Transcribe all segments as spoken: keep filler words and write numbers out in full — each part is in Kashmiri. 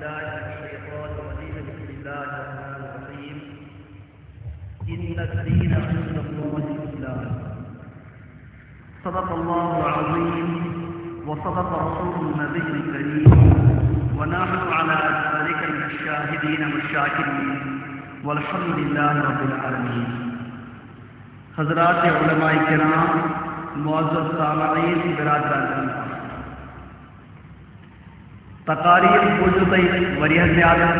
بالله من الشيطان الرجيم. بسم الله الرحمن الرحيم. إن الدين عند الله الإسلام. صدق الله العظيم وصدق رسول النبي الكريم، ونحن على ذلك من الشاهدين والشاكرين، والحمد لله رب العالمين. حضرات علماء کرام، معزز سامعین، برادران، تقاریر بوٗزِو تۄہہِ واریاہ زیادٕ،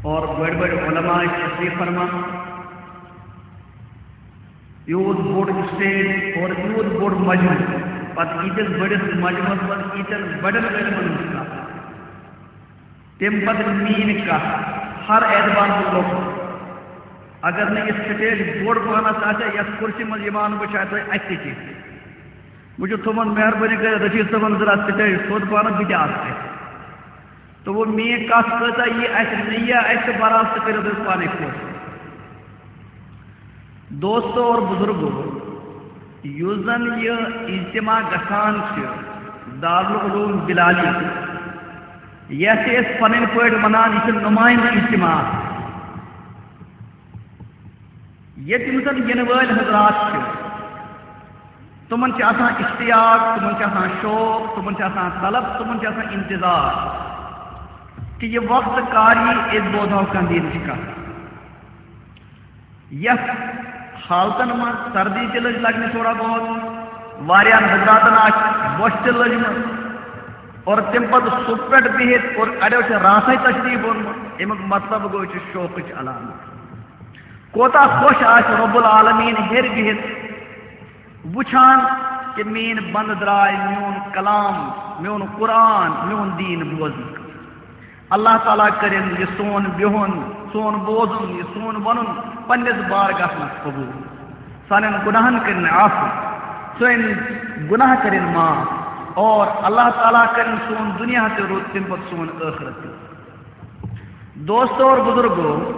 اور بٔڑۍ بٔڑۍ علماء ٲسۍ تشریٖف فرما۔ یوٗت بوٚڑ اسٹیج اور یوٗت بوٚڑ مجمع، پتہٕ ییٖتِس بٔڑِس مجمعس منٛز ییٖتٮ۪ن بڑٮ۪ن علمن ہٕنٛز کتھ، تَمہِ پتہٕ میٛٲنۍ کتھ، ہر اعتبار سۭتۍ لۄکُٹ۔ اگر نہٕ یہِ سٹیج بوٚڑ پہنس آسہِ ہا، یتھ کُرسی منٛز یِوان بہٕ، شاید تۄہہِ اتھِ تہِ کینٛہہ۔ بہٕ چھُس تھوٚومُت مہربٲنی کٔرِتھ رشیٖد صٲبن ذرا سٹیج تھوٚد پہنس، بہٕ تہِ آسہٕ اتہِ۔ تہٕ وۄنۍ میٛٲنۍ کتھ کۭژاہ یی اتھِ، نہٕ یی اتھِ، تہٕ برابر تہِ کٔرِو تُہۍ پانے خۄش۔ دوستو اور بزرگو، یُس زن یہِ اجتماع گژھان چھِ دارالعلوم بلالی، یتھ چھِ أسۍ پنٕنۍ پٲٹھۍ ونان، یہِ چھُ نمائندٕ اجتماع۔ ییٚتہِ یِم زن یِنہٕ وٲلۍ حضرات چھِ، تِمن چھِ آسان اشتیاق، تِمن چھِ آسان شوق، تِمن چھِ آسان طلب، تِمن چھِ آسان انتظار کہِ یہِ وقت کر یی، أسۍ بوزہو کانٛہہ دیٖنٕچ کتھ۔ یتھ حالتن منٛز سردی تہِ لٔج لگنہِ تھوڑا بہت، واریاہن حضراتن آسہِ بۄچھِ تہِ لٔجمٕژ، اور تمہِ پتہٕ صُبح پٮ۪ٹھ بِہِتھ اور اڑیو چھِ راتھے تشریٖف اوٚنمُت۔ امیُک مطلب گوٚو، یہِ چھُ شوقٕچ علامت۔ کوتاہ خۄش آسہِ رب العالمین ہیٚرِ بِہِتھ وٕچھان کہِ میٛٲنۍ بندٕ درٛاے میون کلام، میون قرآن، میون دیٖن بوزنہٕ خٲطرٕ۔ اللہ تعالیٰ کٔرِن یہِ سون بِہُن، سون بوزُن، یہِ سون وَنُن پننِس بارگاہَس منٛز قبوٗل۔ سانٮ۪ن گۄناہَن کٔرِن عفو، سٲنۍ گۄناہ کٔرِن معاف، اور اللہ تعالیٰ کٔرِن سون دُنیا تہِ رُت، تَمہِ پَتہٕ سون ٲخرت تہِ۔ دوستو اور بزرگو،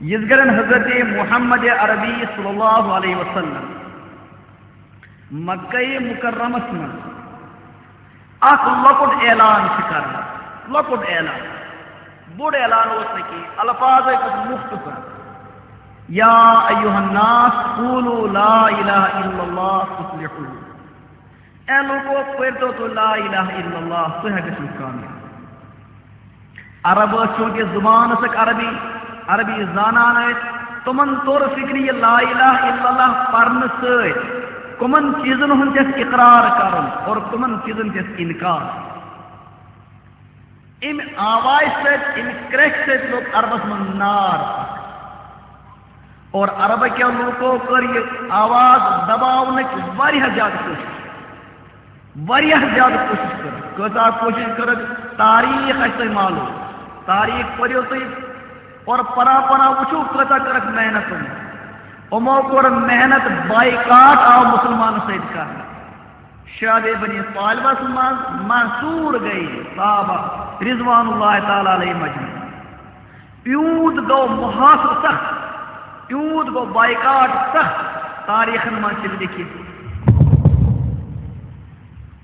یِژ گرن حضرت محمد عربی صلی اللہ علیہ وسلم مکہ مکرمس منٛز اکھ لۄکُٹ اعلان چھِ کران، لۄکُٹ اعلان، بوٚڑ اعلان اوس نہٕ کینٛہہ، الفاظ ٲسۍ مختصر، یا ایھا الناس قولوا لا الہ الا اللہ تفلحوا۔ اے لوکو، پٔرۍتو تُہۍ لا الہ الا اللہ، تُہۍ ہا گٔژھِو کامیاب۔ عرب ٲسۍ، چوٗنٛکہِ زُبان ٲسٕکھ عربی، عربی زانان ٲسۍ، تِمن توٚر فِکرِ یہِ لا الہ الا اللہ پرنہٕ سۭتۍ کٕمن چیٖزن ہُنٛد گژھِ اقرار کرُن اور کٕمن چیٖزن گژھِ انکار۔ اَمہِ آوازِ سۭتۍ، اَمہِ کرٛٮ۪کہِ سۭتۍ لوٚگ عربس منٛز نار اکھ۔ اور عربہٕ کٮ۪و لوٗکو کٔر یہِ آواز دباونٕچ واریاہ زیادٕ کوٗشِش، واریاہ زیادٕ کوٗشِش کٔر۔ کۭژاہ کوٗشِش کٔرٕکھ، تاریٖخ آسہِ تۄہہِ معلوٗم، تاریٖخ پٔرِو تُہۍ اور پران پران وٕچھِو، کۭژاہ کٔرٕکھ محنت یِمو۔ یِمو کوٚر محنت، بایکاٹ آو مُسلمانن سۭتۍ کرنہٕ۔ شعبِ بنی ثعلبس منٛز محصوٗر گٔے صحابہ رضوان اللہ تعالیٰ علیہ مجمعین۔ یوٗت گوٚو محاصرٕ سخت، یوٗت گوٚو بایکاٹ سخت، تاریخن منٛز چھِ لیکھِتھ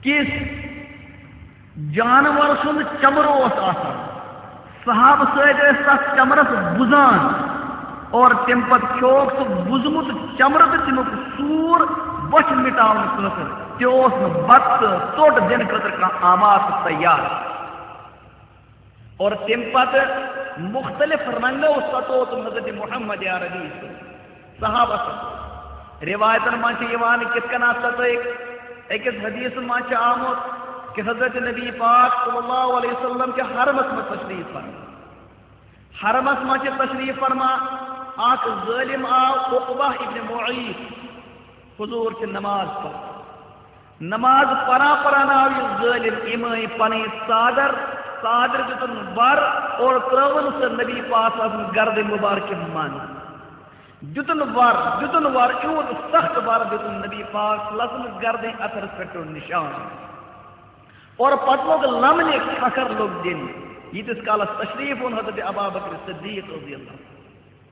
کہِ جانور سُنٛد چمر اوس آسان، صحابہٕ سۭتۍ ٲسۍ تتھ چمرس بُزان اور تمہِ پتہٕ کھیووکھ سُہ بُزمُت چمرٕ تہٕ تمیُک سوٗر بۄچھِ مٹاونہٕ خٲطرٕ۔ تہِ اوس نہٕ بتہٕ تہٕ ژوٚٹ دِنہٕ خٲطرٕ کانٛہہ آماد تہٕ تیار۔ اور تمہِ پتہٕ مختلف رنگو ستوو تِم حضرت محمد عربی صحابس۔ روایتن منٛز چھِ یِوان کِتھ کٔنۍ ستٲوِکھ۔ أکِس حدیثس منٛز چھُ آمُت کہِ حضرت نبی پاک صلی اللہ علیہ وسلم چھِ حرمس منٛز تشریف فرما۔ حرمس منٛز چھِ تشریف فرما، اکھ ظٲلم آو، عقبہ ابن معیط، حضور چھِ نماز پران۔ نماز پران پران آو یہِ ظٲلم، أمۍ أنۍ پنٕنۍ ژادر، ژادرِ دیُتُن بر اور ترٲوٕن سۄ نبی پاک صلی اللہ علیہ وسلم گردِ مبارکہِ منٛز۔ دیُتُن وَر، دیُتُن وَر، یوٗت سخت وَر دیُتُن نبی پاک صلی اللہ علیہ وسلم گردِ اثرس پٮ۪ٹھ پیوٚو نشان۔ اور پتہٕ لوٚگ لمنہِ کھکھر لوٚگ دِنہِ۔ ییٖتِس کالس تشریف اوٚن حضرت ابا بکر صدیق رضی اللہ عنہ۔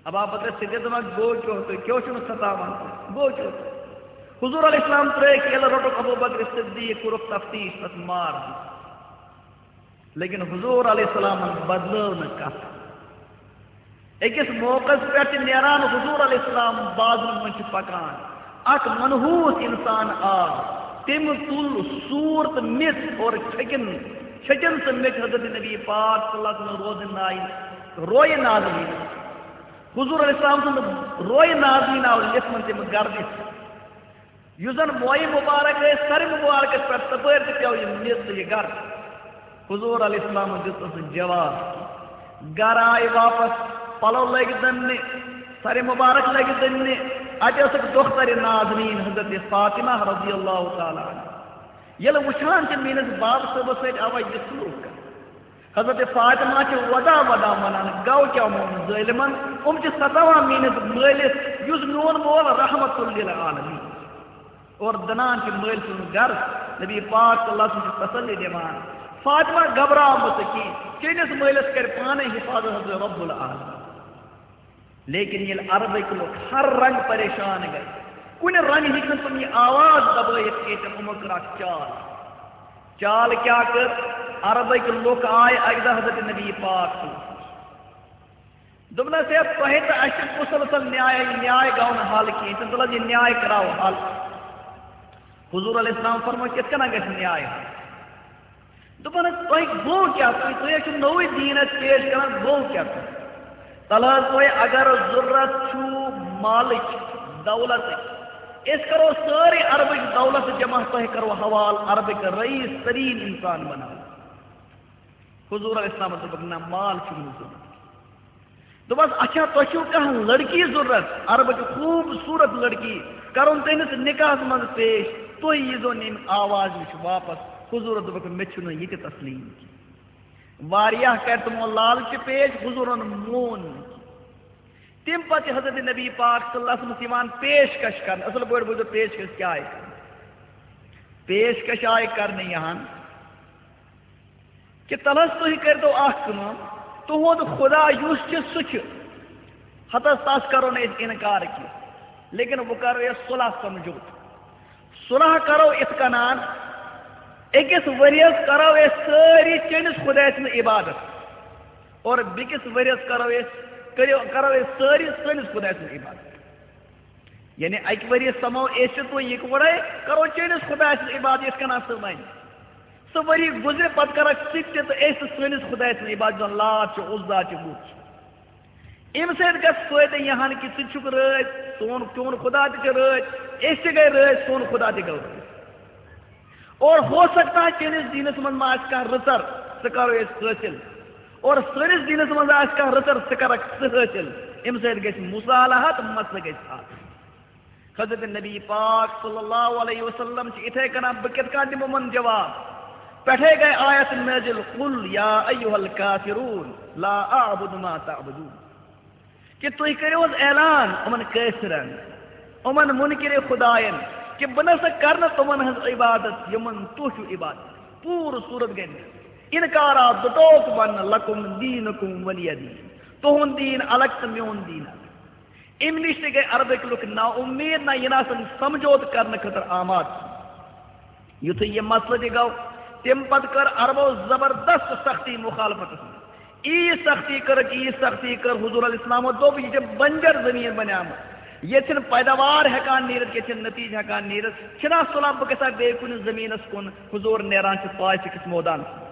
ابا بکر صدیق دپان، "گوٚو کیٛاہ تُہۍ؟ کیٛاہ چھُو نہٕ ستاوان تُہۍ؟ گوٚو کیٛاہ تُہۍ؟" حضور علیہ السلام ترٛٲوِکھ ییٚلہِ روٚٹُکھ ابو بکر صدیق، کوٚرُکھ تفتیش، تتھ مار دیُت۔ لیکن حضور علیہ السلامن بدلٲو نہٕ کتھ۔ أکِس موقعس پٮ۪ٹھ چھِ نیران حضور علیہ السلام بازرن منٛز چھِ پکان۔ اکھ منحوس انسان آو، تٔمۍ تُل سوٗر تہٕ میٚژ اور چھٔکِن، چھٔکِن سُہ میٚژ حضرت نبی پاک صلی اللہ علیہ وسلم روزِ ناے، رویہِ نازنیٖن۔ حضور علیہ السلام سُنٛد رویہِ نازنیٖن آو لیٚتھمُت تٔمۍ گردِ۔ یُس زن مویہِ مبارک ٲسۍ سرِ مبارکس پٮ۪ٹھ، تپٲرۍ تہِ پیوٚو یہِ میٚژ تہٕ یہِ گرد۔ حضور علیہ السلامن دیُت نہٕ سُہ جواب۔ گرٕ آیہِ واپس، پلو لٲگۍ دٕننہِ، سرِ مبارک لٲگۍ دٕننہِ۔ اتہِ ٲسٕکھ دۄخترِ نازنیٖن حضرت فاطمہ رضی اللہ تعالیٰ عنہا۔ ییٚلہِ وٕچھان چھِ میٲنِس باب صٲبس سۭتۍ آوا یہِ سلوک کرنہٕ۔ حضرت فاطمہ چھِ ودا ودا ونان، گوٚو کیٛاہ یِمن ظٲلمن؟ یِم چھِ ستاوان میٲنِس مٲلِس، یُس میون مول رحمت للعالمین۔ اور دنان چھِ مٲلۍ سُنٛد گرٕ، نبی پاک صلی اللہ علیہ وسلم چھِ تسلی دِوان، فاطمہ گھبراو مہٕ ژٕ کینٛہہ، چٲنِس مٲلِس کرِ پانے حفاظت حضرت رب العالمین۔ لیکن ییٚلہِ عربٕکۍ لُکھ ہر رنگ پریشان گٔے، کُنہِ رنگ ہیٚکۍ نہٕ تِم یہِ آواز دبٲیِتھ کینٛہہ، تِمو کٔر اکھ چال۔ چال کیٛاہ کٔر؟ عربٕکۍ لُکھ آے اکہِ دۄہ حضرت نبی پاک صلی اللہ علیہ وسلم۔ دوٚپنس، ہے، تۄہہِ تہٕ اَسہِ چھِ مسلسل نیاے، نیاے گوٚو نہٕ حل کینٛہہ۔ تہٕ تُلن یہِ نیاے کراو حل۔ حضور علیہ السلام فرموو، کِتھ کٔنۍ گژھِ نیاے حل؟ دوٚپنس، تۄہہِ گوٚو کیٛاہ؟ تُہۍ، تُہۍ حظ چھِو نوٚوُے دیٖن اَسہِ پیش کران، گوٚو کیٛاہ تۄہہِ؟ تلہٕ حظ، تۄہہِ اگر ضروٗرت چھُو مالٕچ، دولتٕچ، أسۍ کرو سٲرٕے عربٕچ دولت جمع، تۄہہِ کرو حوالہٕ عربٕکۍ رئیس تریٖن انسان بناوو۔ حضور علیہ السلام دوٚپُکھ، نہ، مال چھُم نہٕ ضروٗرت۔ دوٚپُس، اچھا، تۄہہِ چھُو کانٛہہ لڑکی ضروٗرت، عربٕچ خوٗبصوٗرت لڑکی، کرُن تٔمِس نکاحس منٛز پیش، تُہۍ ییٖزیو نہٕ ییٚمہِ آوازِ نِش واپس۔ حضوٗرن دوٚپُکھ، مےٚ چھُنہٕ یہِ تہِ تسلیم کینٛہہ۔ واریاہ کرِ تِمو لالچہِ پیش، حضوٗرن مون نہٕ کینٛہہ۔ تَمہِ پتہٕ چھِ حضرت نبی پاک صلی اللہ علیہ وسلمس یِوان پیشکش کرنہٕ۔ اصل پٲٹھۍ بوٗزِو، پیشکش کیٛاہ آیہِ کرنہٕ؟ پیشکش آیہِ کرنہٕ یِہن کہِ تلس تُہۍ کٔرۍتو اکھ کٲم، تُہُنٛد خدا یُس چھُ، سُہ چھُ، ہتس تس کرو نہٕ أسۍ انکار کینٛہہ، لیکن وۄنۍ کرو أسۍ صلح سمجھوتہٕ۔ صلح کرو اِتھ کٔنۍ، أکِس ؤریَس کرو أسۍ سٲری چٲنِس خدایہِ سٕنٛز عبادت، اور بیٚکِس ؤریَس کرو أسۍ، کٔرِو، کرو أسۍ سٲری سٲنِس خدایہِ سٕنٛز عبادت۔ یعنی اکہِ ؤریہِ سمو أسۍ تہٕ تُہۍ یِکوَٹے، کرو چٲنِس خدایہِ سٕنٛز عبادت یِتھ کٔنۍ سُہ ونہِ۔ سُہ ؤری گُزرِ، پتہٕ کرکھ ژٕ تہِ تہٕ أسۍ تہِ سٲنِس خدایہِ سٕنٛز عبادت، یُس زن لات چھُ، عزا چھُ، بُت چھُ۔ اَمہِ سۭتۍ گژھِ فٲیدٕ یِہن کہِ ژٕ تہِ چھُکھ رٲضۍ، سون، چون خدا تہِ چھُ رٲضۍ، أسۍ تہِ گٔے رٲضۍ، سون خدا تہِ گوٚو رٲضۍ۔ اور ہو سکتا ہے چٲنِس دیٖنس منٛز ما آسہِ کانٛہہ رٕژر، سُہ کرو أسۍ حٲصِل۔ اور سٲنِس دیٖنس منٛز آسہِ کانٛہہ رٕژر، سُہ کرکھ ژٕ حٲصِل۔ اَمہِ سۭتۍ گژھِ مصالحت، مسلہٕ گژھِ حل۔ حضرت نبی پاک صلی اللہ علیہ وسلم چھِ اِتھے کٔنۍ، بہٕ کِتھ کٔنۍ دِمہٕ یِمن جواب؟ پٮ۪ٹھے گٔے آیت نٲزِل، قل یا ایھا الکافرون لا اعبد ما تعبدون۔ کہِ تُہۍ کٔرِو حظ اعلان یِمن کٲفرن، یِمن مُنکِرِ خداین، کہِ بہٕ نہ سا کرٕ نہٕ تِمن ہٕنٛز عبادت یِمن تُہۍ چھِو عبادت۔ پوٗرٕ صوٗرت گٔے نہٕ۔ اِنکار آو، دُٹوک وننہٕ، لکم دینکم ولی دین، تُہُنٛد دیٖن الگ تہٕ میون دیٖن الگ۔ اَمہِ نِش تہِ گٔے عربٕکۍ لُکھ نا اُمید، نہ یِن آسن سمجھوتہٕ کرنہٕ خٲطرٕ آماد۔ یُتھُے یہِ مسلہٕ تہِ گوٚو، تَمہِ پتہٕ کٔر عربو زبردست سختی مخالفتس منٛز۔ ییٖژ سختی کٔرٕکھ، ییٖژ سختی کٔر، حضور علیہ السلامو دوٚپ، یہِ چھِ بنجر زٔمیٖن بنیمٕژ، ییٚتہِ چھِنہٕ پیداوار ہٮ۪کان نیٖرِتھ، ییٚتہِ چھِنہٕ نتیٖجہٕ ہٮ۪کان نیٖرِتھ، چھِنہ سُلہ بہٕ گژھٕ ہا بیٚیہِ کُنہِ زٔمیٖنس کُن۔ حضور نیران چھِ طائفہٕ کِس مٲدانس منٛز۔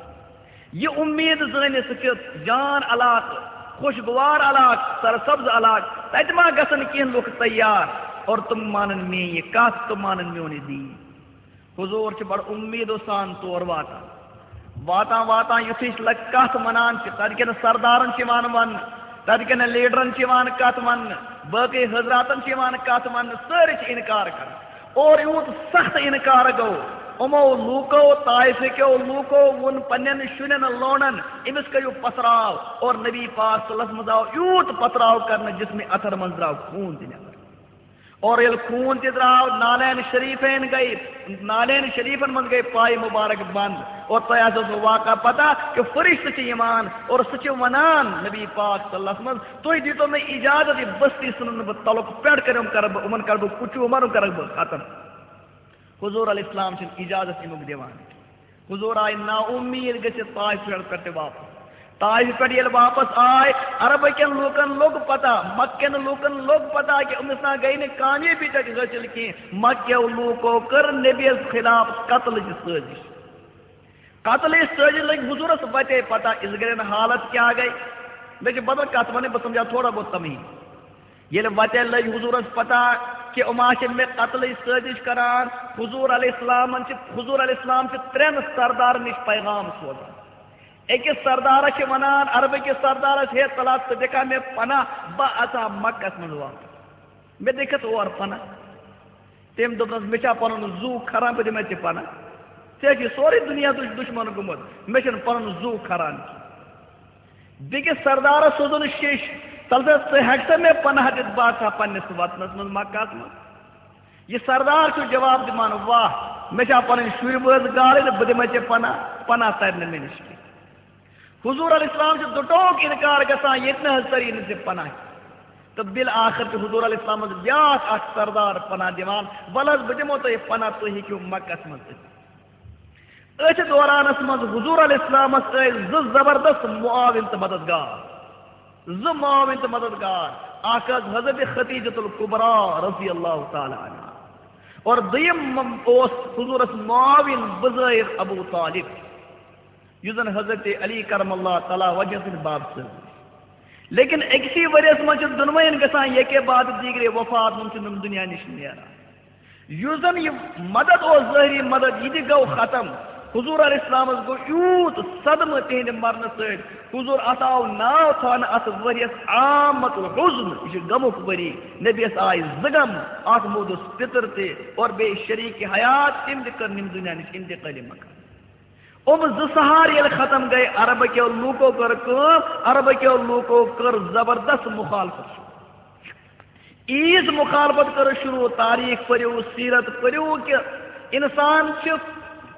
یہِ اُمید زٲنِتھ، سُہ چھُ جان علاقہٕ، خوشگوار علاقہٕ، سرسبز علاقہٕ، تتہِ ما گژھن کینٛہہ لُکھ تیار اور تِم مانن میٲنۍ یہِ کتھ، تِم مانن میون یہِ دیٖن۔ حضور چھِ بڑٕ اُمیدو سان تور واتان۔ واتان واتان یُتھُے لگ-، کتھ ونان چھِ، تتہِ کٮ۪ن سردارن چھِ یِوان وننہٕ، تتہِ کٮ۪ن لیڈرن چھِ یِوان کتھ وننہٕ، باقٕے حضراتن چھِ یِوان کتھ وننہٕ، سٲری چھِ انکار کران۔ اور یوٗت سخت انکار گوٚو، یِمو لوٗکو، طائفہٕ کیو لوٗکو ووٚن پننٮ۪ن شُرٮ۪ن لونڈن، أمِس کٔرِو پتھراو۔ اور نبی پاک صلی اللہ علیہ وسلم آو یوٗت پتھراو کرنہٕ، جسمِ اطہر منٛز درٛاو خوٗن تہِ نٮ۪بر۔ اور ییٚلہِ خوٗن تہِ درٛاو، نالین شریفین گٔے، نالین شریفن منٛز گٔے پایہِ مبارک بند۔ اور تۄہہِ آسیو سُہ واقعہ پتہ کہِ فرشتہٕ چھِ یِوان اور سُہ چھِ ونان نبی پاک صلی اللہ علیہ وسلم، تُہۍ دیٖتو مےٚ اجازت، یہِ بستی ژھٕنن نہٕ بہٕ تلُک پٮ۪ٹھ کٔرِم کرٕ بہٕ، یِمن کرٕ بہٕ کُچوٗمر، یِم کرکھ بہٕ ختم۔ حضور علیہ السلام چھِنہٕ اجازت اَمیُک دِوان۔ حضور آیہِ نا امید گٔژھِتھ طائف پٮ۪ٹھ تہِ واپس۔ طائف پٮ۪ٹھ ییٚلہِ واپس آے، عربہٕ کٮ۪ن لوٗکن لوٚگ پتہ، مکہٕ کٮ۪ن لوٗکن لوٚگ پتہ کہِ أمِس نا گٔے نہٕ کامیٲبی تتہِ حٲصِل کینٛہہ۔ مکہٕ کٮ۪و لوٗکو کٔر نبی یس خلاف قتلٕچ سٲزش۔ قتلٕچ سٲزش لٔگۍ حضورس وتے پتہ، یِژھ گرٮ۪ن حالت کیٛاہ گٔے۔ مےٚ چھِ بدل کتھ ونٕنۍ، بہٕ سمجھاو تھوڑا بہت تمہی۔ ییٚلہِ وتہِ لٔج حضورس پتہ کہِ یِم آسہِ مےٚ قتلٕچ سٲزش کران، حضور علیہ السلامن چھِ، حضور علیہ السلام چھِ ترٛٮ۪ن سردارن نِش پیغام سوزان۔ أکِس سردارس چھِ ونان، عربہٕ کِس سردارس، ہے، تلا، ژٕ دِکھا مےٚ پناہ، بہٕ اژٕ ہا مکس منٛز واپس، مےٚ دِکھتھ اور پناہ۔ تٔمۍ دوٚپنس، مےٚ چھا پنُن زُو کھران، بہٕ دِمے ژےٚ پناہ؟ ژےٚ چھُے سورُے دُنیا دُش-، دُشمن گوٚمُت، مےٚ چھُنہٕ پنُن زُو کھران کینٛہہ۔ بیٚکِس سردارس سوزُن شیش، تلہٕ سا، ژٕ ہٮ۪کہٕ سا مےٚ پناہ دِتھ؟ بہٕ آسہٕ ہا پننِس وطنس منٛز، مکہس منٛز۔ یہِ سردار چھُ جواب دِوان، واہ، مےٚ چھا پنٕنۍ شُرۍ بٲژ گالٕنۍ، بہٕ دِمے ژےٚ پناہ؟ پناہ ترِ نہٕ مےٚ نِش کینٛہہ۔ حضور علیہ السلام چھُ دُٹوک انکار گژھان، ییٚتہِ نہٕ حظ تری نہٕ ژےٚ پناہ۔ تہٕ بالآخر چھُ حضور علیہ السلامس بیاکھ اکھ سردار پناہ دِوان، ولہٕ حظ، بہٕ دِمو تۄہہِ پناہ، تُہۍ ہیٚکِو مکس منٛز أژِتھ۔ أتھۍ دورانس منٛز حضور علیہ السلامس ٲسۍ زٕ زبردست معاون تہٕ مددگار، زٕ معاون تہٕ مددگار، اکھ ٲس حضرت خدیجۃ الکبریٰ رضی اللہ تعالی عنہا، اور دوٚیِم اوس حضورس معاون بظاہر ابو طالب، یُس زن حضرت علی کرم اللہ تعالی وجہ سٕنٛدِ باب سۭتۍ۔ لیکن أکسٕے ؤریس منٛز چھِ دۄنوَین گژھان یکے بعد دیگرے وفات، یِم چھِ یِم دُنیا نِش نیران۔ یُس زن یہِ مدد اوس، ظٲہری مدد، یہِ تہِ گوٚو ختم۔ حضور علیہ السلامس گوٚو یوٗت صدمہٕ تِہنٛدِ مرنہٕ سۭتۍ۔ حضور، اتھ آو ناو تھاونہٕ اتھ ؤریس عامۃ الحزن، یہِ چھُ غمُک ؤری۔ نبیس آے زٕ غم، اتھ موٗدُس پِتُر تہِ اور بیٚیہِ شریٖک حیات، تٔمۍ تہِ کٔر ییٚمہِ دُنیا نِش انتقٲلی مکان۔ یِم زٕ سہار ییٚلہِ ختم گٔے، عربہٕ کیو لوٗکو کٔر کٲم، عربہٕ کیو لوٗکو کٔر زبردست مخالفت شروع۔ عیٖد مخالفت کٔر شروع، تاریخ پٔرِو، سیرت پٔرِو کہِ انسان چھِ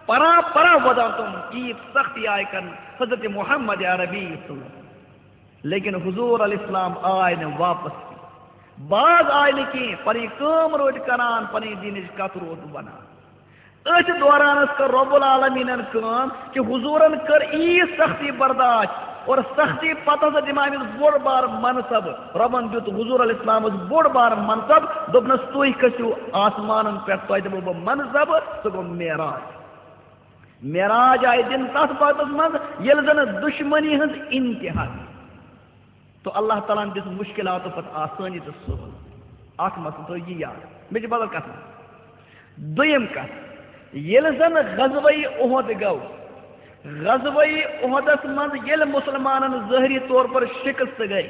پران پران وۄدان تِم عیٖد سختی آیہِ کرنہٕ حضرت محمد عربی صلی اللہ علیہ وسلم۔ لیکن حضور علیہ السلام آے نہٕ واپس کینٛہہ۔ بعض آے نہٕ کینٛہہ، پنٕنۍ کٲم روٗدۍ کران، پنٕنۍ دینٕچ کتھ روٗد ونان۔ أتھۍ دورانس کٔر رب العالمینن کٲم کہِ حضورن کٔر ییٖژ سختی برداشت، اور سختی پتہٕ ہسا دِمہٕ أمِس بوٚڑ بار منصب۔ ربن دیُت حضور علیہ السلامس بوٚڑ بار منصب، دوٚپنس، تُہۍ کھٔسِو آسمانن پٮ۪ٹھ، تۄہہِ دِمو بہٕ منصب۔ سُہ گوٚو معراج۔ معراج آیہِ دِنہٕ تتھ وقتس منٛز، ییٚلہِ زن دُشمنی ہٕنٛز انتہا گٔے۔ تو اللہ تعالیٰ ہن دِژ مُشکِلاتو پتہٕ آسٲنی تہٕ سہوٗل۔ اکھ مسلہٕ تھٲیِو یہِ یاد، مےٚ چھِ بدل کتھ۔ دوٚیِم کتھ، ییٚلہِ زن غزوہ احد گوٚو، غزوہ احدس منٛز ییٚلہِ مُسلمانن ظٲہری طور پر شکست گٔے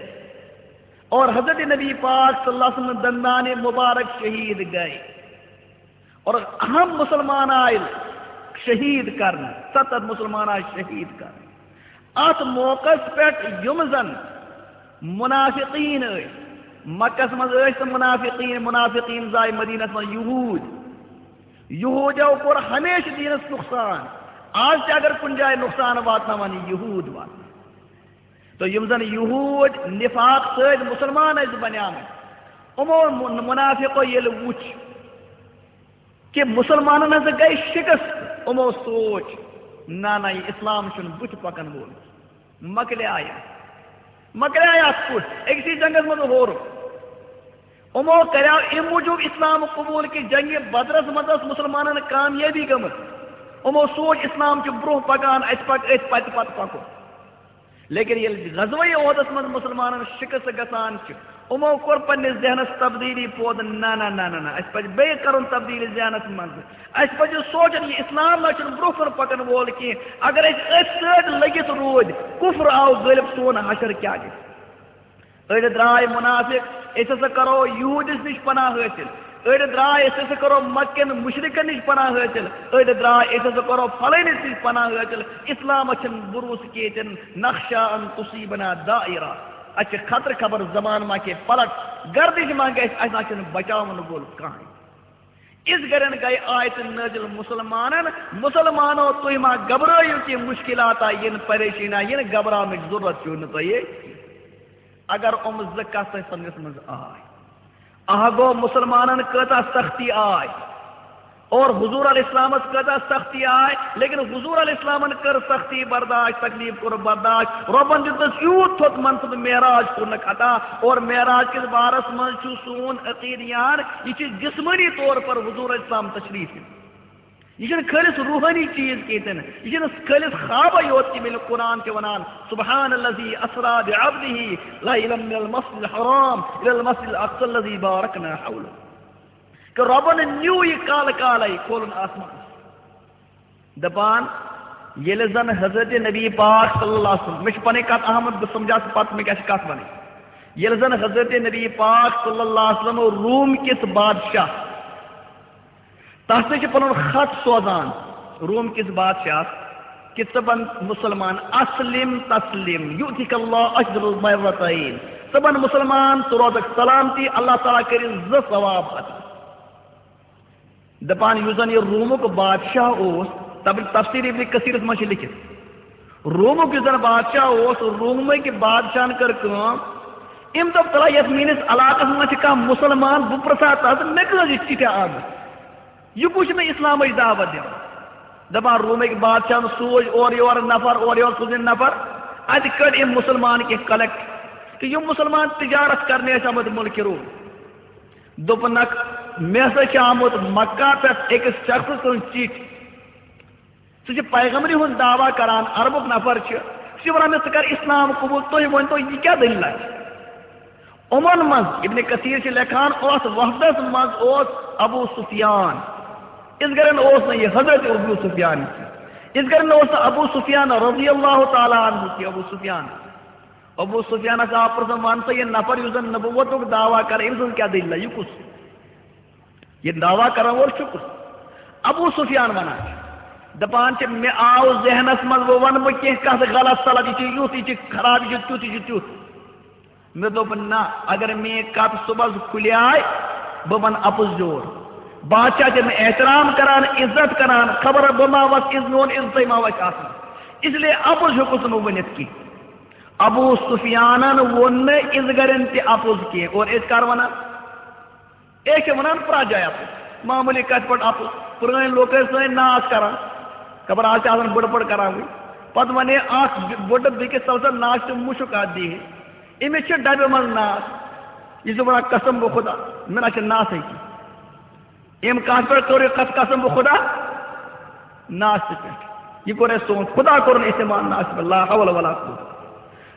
اور حضرت نبی پاک صلی اللہ علیہ وسلم دندان مبارک شہید گٔے، اور اہم مسلمان آئے شہید کرنہٕ، ستتھ مسلمان آئے شہید کرنہٕ۔ اتھ موقعس پٮ۪ٹھ یِم زن منافقین ٲسۍ، مکس منٛز ٲسۍ تہٕ منافقین، منافقین زاے مدینس منٛز یہود۔ یہودیو کوٚر ہمیشہٕ دینس نقصان۔ آز تہِ اگر کُنہِ جایہِ نقصان واتناوان، یہود واتناوان۔ تہٕ یِم زن یہود نفاق سۭتۍ مسلمان ٲسۍ بنیمٕتۍ، یِمو من-، منافقو ییٚلہِ وُچھ، کہ مسلمانن ہسا گٔے شکست۔ یِمو سوچ، نہ نہ، یہِ اسلام چھُنہٕ بُتھِ پکن وول۔ مۄکلیایہِ، مۄکلیایہِ اتھ کُٹھ، أکسٕے جنگس منٛز ہورُکھ۔ یِمو کریاو امہِ موٗجوٗب اسلام قبول کہ جنگِ بدرس منٛز ٲس مسلمانن کامیٲبی گٔمٕژ۔ یِمو سوچ، اسلام چھُ برونٛہہ پکان، اسہِ پکہِ أتھۍ پتہٕ پتہٕ پکُن۔ لیکن ییٚلہِ غزوہ احدس منٛز مسلمانن شکست گژھان چھِ، یِمو کوٚر پننِس ذہنس تبدیلی پٲدٕ، نہ نہ نہ نہ نہ، اسہِ پزِ بیٚیہِ کرُن تبدیلی ذہنس منٛز۔ اسہِ پزِ سونچُن، یہِ اسلام نہ چھُنہٕ برونٛہہ کُن پکن وول کینٛہہ۔ اگر أسۍ أتھۍ سۭتۍ لٔگِتھ روٗدۍ، کفر آو غٲلب، سون حشر کیٛاہ گژھِ؟ أڑۍ درٛاے منافق، أسۍ ہسا کرو یہودِس نِش پناہ حٲصِل۔ أڑۍ درٛاے، أسۍ ہسا کرو مکہ کٮ۪ن مشرکن نِش پناہ حٲصِل۔ أڑۍ درٛاے، أسۍ ہسا کرو فلٲنِس نِش پناہ حٲصِل۔ اسلامس چھُنہٕ بروسہٕ کینٛہہ، تِم نخشہ ان تصیبنا دائرہ۔ اسہِ چھِ خطرٕ خبر زمانہٕ ما کینٛہہ پلٹ، گردش ما گژھِ، اسہِ نہ چھُنہٕ بچاون وول کانٛہہ۔ اس گرن گٔے آیتہٕ نٲزِل مسلمانن، مسلمانو، تُہۍ ما گھبرٲیِو کینٛہہ، مشکلات آ یِن، پریشٲنی آ یِن، گھبراونٕچ ضروٗرت چھُو نہٕ تۄہہِ۔ اگر یِم زٕ کتھ تۄہہِ سمجھس منٛز آے، اکھ گوٚو مسلمانن کۭژاہ سختی آے، اور حضور علیہ السلامس کۭژاہ سختی آے، لیکن حضور علیہ السلامن کٔر سختی برداشت، تکلیف کوٚر برداشت۔ رۄبن دیُتنس یوٗت تھوٚد منصب، معراج کوٚرنکھ عطا۔ اور معراج کِس بارس منٛز چھُ سون عقیدٕ یان، یہِ چھُ جسمٲنی طور پر حضور علیہ السلام تشریف۔ یہِ چھُنہٕ خٲلص روحٲنی چیٖز کینٛہہ تہِ نہٕ، یہِ چھُنہٕ خٲلص خوابے یوت کینٛہہ، بلکہِ قرآن چھُ ونان، سبحان الذی اسری بعبدہ لیلا من المسجد الحرام الی المسجد الاقصی الذی بارکنا حولہ۔ کہ رۄبن نیوٗ یہِ کالہٕ کالے کھولُن آسمان۔ دپان، ییٚلہِ زن حضرت نبی پاک صلی اللہ علیہ وسلم، مےٚ چھِ پنٕنۍ کتھ اہم، بہٕ سمجھا سُہ پتہٕ مےٚ کیٛاہ چھِ کتھ ونٕنۍ۔ ییٚلہِ زن حضرت نبی پاک صلی اللہ علیہ وسلم روم کِس بادشاہ، تس نِش چھِ پنُن خط سوزان روم کِس بادشاہس، کہ ژٕ بن مسلمان، اسلم تسلم، یؤتک اللہ اجر المرتین، ژٕ بن مسلمان، ژٕ روزکھ سلامتی، اللہ تعالیٰ کٔرِتھ زٕ ثواب عطا۔ دپان، یُس زن یہِ رومُک بادشاہ اوس، تب-، تفسیر ابن کثیرس منٛز چھِ لیکھِتھ، رومُک یُس زن بادشاہ اوس، رومٕکۍ بادشاہن کٔر کٲم، أمۍ دوٚپ، تلا یتھ میٲنِس علاقس منٛز چھِ کانٛہہ مسلمان، بہٕ پرژھا تس، مےٚ کٔژ یہِ چِٹھِ آمٕژ، یہِ کُس چھُ مےٚ اسلامٕچ دعوت دِوان؟ دپان، رومٕکۍ بادشاہن سوٗز اورٕ یورٕ نفر، اورٕ یورٕ سوٗزِن نفر، اتہِ کٔڑۍ أمۍ مسلمان کینٛہہ کلیکٹ، تہٕ یِم مسلمان تجارت کرنہِ ٲسۍ آمٕتۍ مُلکہِ روم۔ دوٚپنکھ، مےٚ ہسا چھِ آمُت مکہ پٮ۪ٹھ أکِس شخص سٕنٛز چِٹھۍ۔ سُہ چھُ پیغمبری ہُنٛد دعویٰ کران، عربُک نفر چھُ۔ سُہ چھُ وَنان مےٚ، ژٕ کر اسلام قبول، تُہۍ ؤنۍ تو، یہِ کیٛاہ دٔلیٖلہ چھِ؟ یِمن منٛز، ابن کثیر چھُ لیکھان، اوس وفدس منٛز اوس ابو سفیان۔ یِتھ کٔنۍ اوس نہٕ یہِ حضرت ابو سفیان کینٛہہ۔ یِتھ کٔنۍ اوس نہٕ ابو سفیان رضی اللہ تعالیٰ عنہ کینٛہہ، ابو سفیان۔ ابو سفیانس آو پرژھنہٕ، وَن سا، یہِ نفر یُس زن نبوتُک دعویٰ کران، أمۍ سٕنٛز کیٛاہ دٔلیٖلہ؟ یہِ کُس؟ یہِ دعویٰ کرن وول چھُ کُس؟ ابو سفیان ونان چھُ، دپان چھِ، مےٚ آو ذہنس منٛز، وۄنۍ ونہٕ بہٕ کینٛہہ کتھ غلط سلط، یہِ چھُ یُتھ، یہِ چھُ خراب، یہِ چھُ تیُتھ، یہِ چھُ تیُتھ۔ مےٚ دوٚپ، نہ، اگر میٲنۍ کتھ صبحس کھُلیے، بہٕ ونہٕ اپُز یور۔ بادشاہ چھِ مےٚ احترام کران، عزت کران، خبر بہٕ ما وسہٕ عز-، میون عزتٕے ما وسہِ آسان۔ اس لیے اپُز ہیوٚکُس نہٕ بہٕ ؤنِتھ کینٛہہ۔ ابو سفیانن ووٚن نہٕ اِزگرٮ۪ن تہِ اپُز کینٛہہ۔ اور أسۍ کر ونان؟ أسۍ چھِ ونان پرٛٮ۪تھ جایہِ اپُز، معموٗلی کتھِ پٮ۪ٹھ اپُز۔ پرٛٲنۍ لوٗکھ ٲسۍ سٲنۍ ناس کران، خبر آز تہِ آسان بٔڑ بٔڑ کران وٕنہِ۔ پتہٕ ونے اکھ بٔڑٕ بیٚکِس، تَل سا ناس تہِ مُشُک اتھ دِیہِ۔ أمِس چھِ ڈبہِ منٛز ناس، یہِ چھُ ونان، قسم بہٕ خدا، مےٚ نہ چھِ ناسٕے کینٛہہ۔ أمۍ کتھ پٮ۪ٹھ کٔر یہِ کتھ، قسم بہٕ خدا؟ ناس تہِ پٮ۪ٹھ۔ یہِ کوٚر اَسہِ سون خدا، کوٚرُن استعمال ناس پٮ۪ٹھ، لا حول ولا قوت۔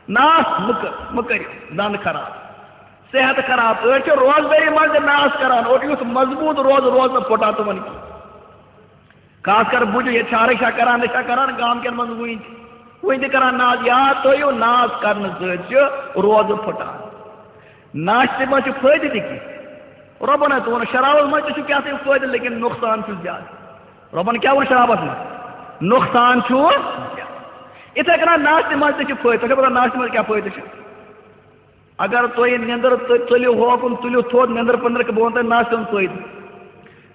ناس مہٕ کٔر، مہٕ کٔرِو، دند خراب، صحت خراب۔ أڑۍ چھِ روزدٲری منٛز تہِ ناس کران، اور یُتھ مضبوٗط روزٕ روزنہٕ پھُٹان تِمن کینٛہہ۔ خاص کر بُجہِ، ییٚتہِ چھِ ہر شاہ کران، نشہ کران، گامہٕ کٮ۪ن منٛز وُنہِ تہِ، وُنہِ تہِ کران ناس۔ یاد تھٲیِو، ناس کرنہٕ سۭتۍ چھِ روزٕ پھُٹان۔ ناشہِ منٛز چھُ فٲیدٕ تہِ کینٛہہ۔ رۄبن ہا تہِ ووٚن، شرابس منٛز تہِ چھُ کینٛہہ تام فٲیدٕ، لیکن نۄقصان چھُ زیادٕ۔ رۄبن کیٛاہ ووٚن شرابس منٛز؟ نۄقصان چھُ زیادٕ۔ یِتھے کٔنۍ ناشہِ منٛز تہِ چھُ فٲیدٕ۔ تۄہہِ چھا پتہ ناشہِ منٛز کیٛاہ فٲیدٕ چھُ؟ اگر تُہۍ نیٚنٛدٕر تُلِو ہوکُن، تُلِو تھوٚد، نیٚنٛدٕر پٔنٛدٕر، بہٕ وَنہٕ تۄہہِ ناشہِ ہُنٛد فٲیدٕ۔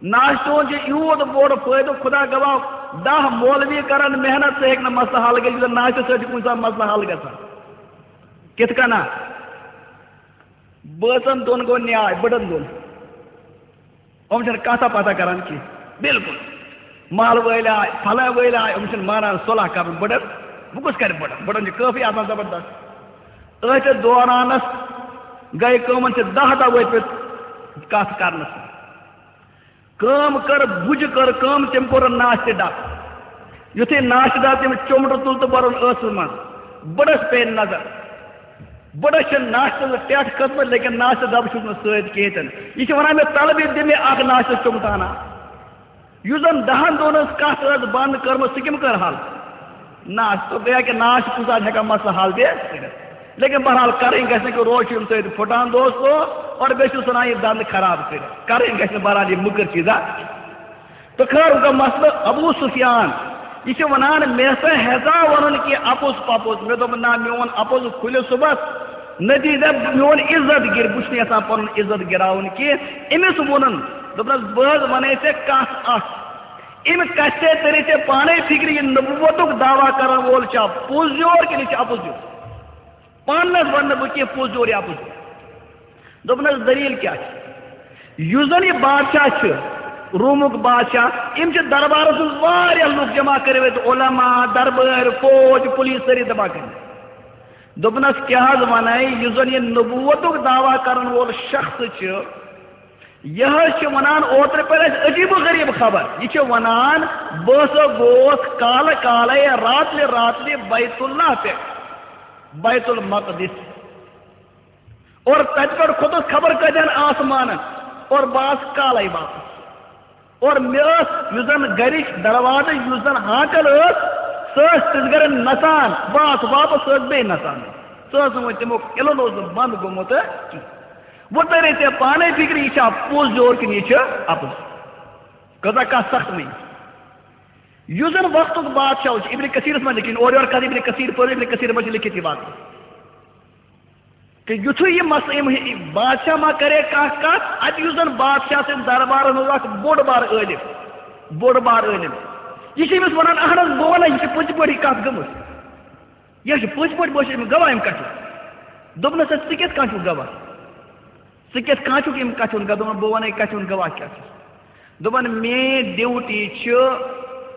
ناشہِ چون چھُ یوٗت بوٚڑ فٲیدٕ، خدا گواہ، دَہ مولوی کرن محنت، سُہ ہیٚکہِ نہٕ مسلہٕ حل کٔرِتھ، یُس زن ناشہِ سۭتۍ چھُ کُنہِ ساتہٕ مسلہٕ حل گژھان۔ کِتھ کٔنۍ؟ بٲژن دۄن گوٚو نیاے، بٔڑن دۄن۔ یِم چھِنہٕ کتھا پتھا کران کینٛہہ۔ بالکل۔ محلہٕ وٲلۍ آے، فلاں وٲلۍ آے، یِم چھِنہٕ مانان صلح کرُن۔ بٔڑن، وۄنۍ کُس کرِ بٔڑن؟ بٔڑن چھِ کٲفی آسان زبردست۔ أتھۍ دورانس گٔے کٲم، یِمن چھِ دَہ دۄہ وٲتۍ مٕتۍ کتھ کرنس۔ کٲم کٔر، بُجہِ کٔر کٲم، تٔمۍ کوٚر ناشہِ ڈب۔ یُتھُے ناشہِ ڈب تٔمۍ چومٹہٕ تُل تہٕ بوٚرُن ٲسس منٛز، بٔڑس پیٚیہِ نظر۔ بٔڑس چھِ ناشہِ تُلنہٕ ٹٮ۪ٹھ کھٔژمٕژ، لیکن ناشہِ ڈبہٕ چھُس نہٕ سۭتۍ کِہیٖنۍ تہِ نہٕ۔ یہِ چھِ وَنان، مےٚ طلبہِ دِ مےٚ اکھ ناشہِ چومٹہٕ ہنا۔ یُس زن دَہن دۄہن ہٕنٛز کتھ ٲس بنٛد کٔرمٕژ، سُہ کٔمۍ کٔر حل؟ ناس، تو گٔیا کہ ناس چھِ کُنہِ ساتہٕ ہٮ۪کان مسلہٕ حل تہِ کٔرِتھ۔ لیکن بہرحال کرٕنۍ گژھِ نہٕ کہ روز چھُ اَمہِ سۭتۍ پھُٹان دوستو، اور بیٚیہِ چھُ ژھٕنان یہِ دنٛد خراب کٔرِتھ۔ کرٕنۍ گژھِ نہٕ بہرحال یہِ مٔکٕر چیٖزا۔ تہٕ خٲر، وۄنۍ گوٚو مسلہٕ ابو سفیان۔ یہِ چھُ وَنان، مےٚ ہسا ہیژاو وَنُن کہِ اَپُز پَپُز۔ مےٚ دوٚپ، نہ، میون اَپُز کھُلہِ صُبحس۔ نتیجہ، میون عزت گِر، بہٕ چھُس نہٕ یَژھان پَنُن عزت گِراوُن کینٛہہ۔ أمِس ووٚنُن، دوٚپنَس، بہٕ حظ وَنے ژےٚ کَتھ اَکھ۔ أمۍ کَتھِ ژےٚ تٔرِتھ ژےٚ پانَے فِکرِ، یہِ نبوتُک دعویٰ کَرَن وول چھا پوٚز یور کِنہٕ یہِ چھُ اَپُز یور؟ پانَس وَنہٕ نہٕ بہٕ کینٛہہ پوٚز یور یا اَپُز یور۔ دوٚپنَس، دٔلیٖل کیٛاہ چھِ؟ یُس زَن یہِ بادشاہ چھُ، رومُک بادشاہ، یِم چھِ دربارس منٛز واریاہ لُکھ جمع کٔرمٕتۍ، علماء، دربٲرۍ، فوج، پُلیٖس، سٲری جمع کٔرمٕتۍ۔ دوٚپنس، کیٛاہ حظ ونے، یُس زن یہِ نبوتُک دعویٰ کرن وول شخص چھُ، یہِ حظ چھُ ونان، اوترٕ پٮ۪ٹھ اَسہِ عجیب و غریب خبر۔ یہِ چھُ ونان، بہٕ ہسا گوس کالہٕ کالے، راتلہِ راتلہِ بیت اللہ پٮ۪ٹھ، بیت المقدس۔ اور تتہِ پٮ۪ٹھ کھوٚتُس خبر کتٮ۪ن آسمانن، اور بہٕ آس کالے واپس۔ اور مےٚ ٲس، یُس زن گرِچ دروازٕچ یُس زن ہانکل ٲس، سۄ ٲس تِژھ گرِ نژان، بہٕ آس واپس، سۄ ٲس بیٚیہِ نژان۔ سۄ ٲس نہٕ وۄنۍ تِمو، یِلن اوس نہٕ بنٛد گوٚمُت کینٛہہ۔ وۄنۍ ترے ژےٚ پانے فکرِ، یہِ چھا پوٚز یور کِنہٕ یہِ چھُ اپُز؟ کۭژاہ کتھ سخت مےٚ۔ یُس زن وقتُک بادشاہ اوس، ابن کثیرس منٛز لیکھِتھ، اورٕ یورٕ کتھ ابن کثیر پٔر، ابن کثیر منٛز چھِ لیکھِتھ یہِ واقعہٕ۔ کہ یُتھُے یہِ مسلہٕ، یِم، یہِ بادشاہ ما کرے کانٛہہ کتھ، اتہِ یُس زن بادشاہ سٕنٛدِ دربارس منٛز اکھ بوٚڑ بار عٲلِم، بوٚڑ بار عٲلِم، یہِ چھُ أمِس ونان، اہن حظ، بہٕ ونہٕ، یہِ چھِ پٔزۍ پٲٹھۍ یہِ کتھ گٔمٕژ، یہِ چھِ پٔزۍ پٲٹھۍ، بہٕ چھُس أمِس گواہ امہِ کتھِ۔ دوٚپنس، ژٕ کِتھ کٔنۍ چھُکھ گواہ؟ ژٕ کِتھ کٔنۍ چھُکھ امہِ کتھِ ہُنٛد گواہ؟ دوٚپُن، بہٕ ونَے کتھِ ہُنٛد گواہ کیٛاہ چھُ۔ دوٚپُن، میٲنۍ ڈیوٹی چھِ،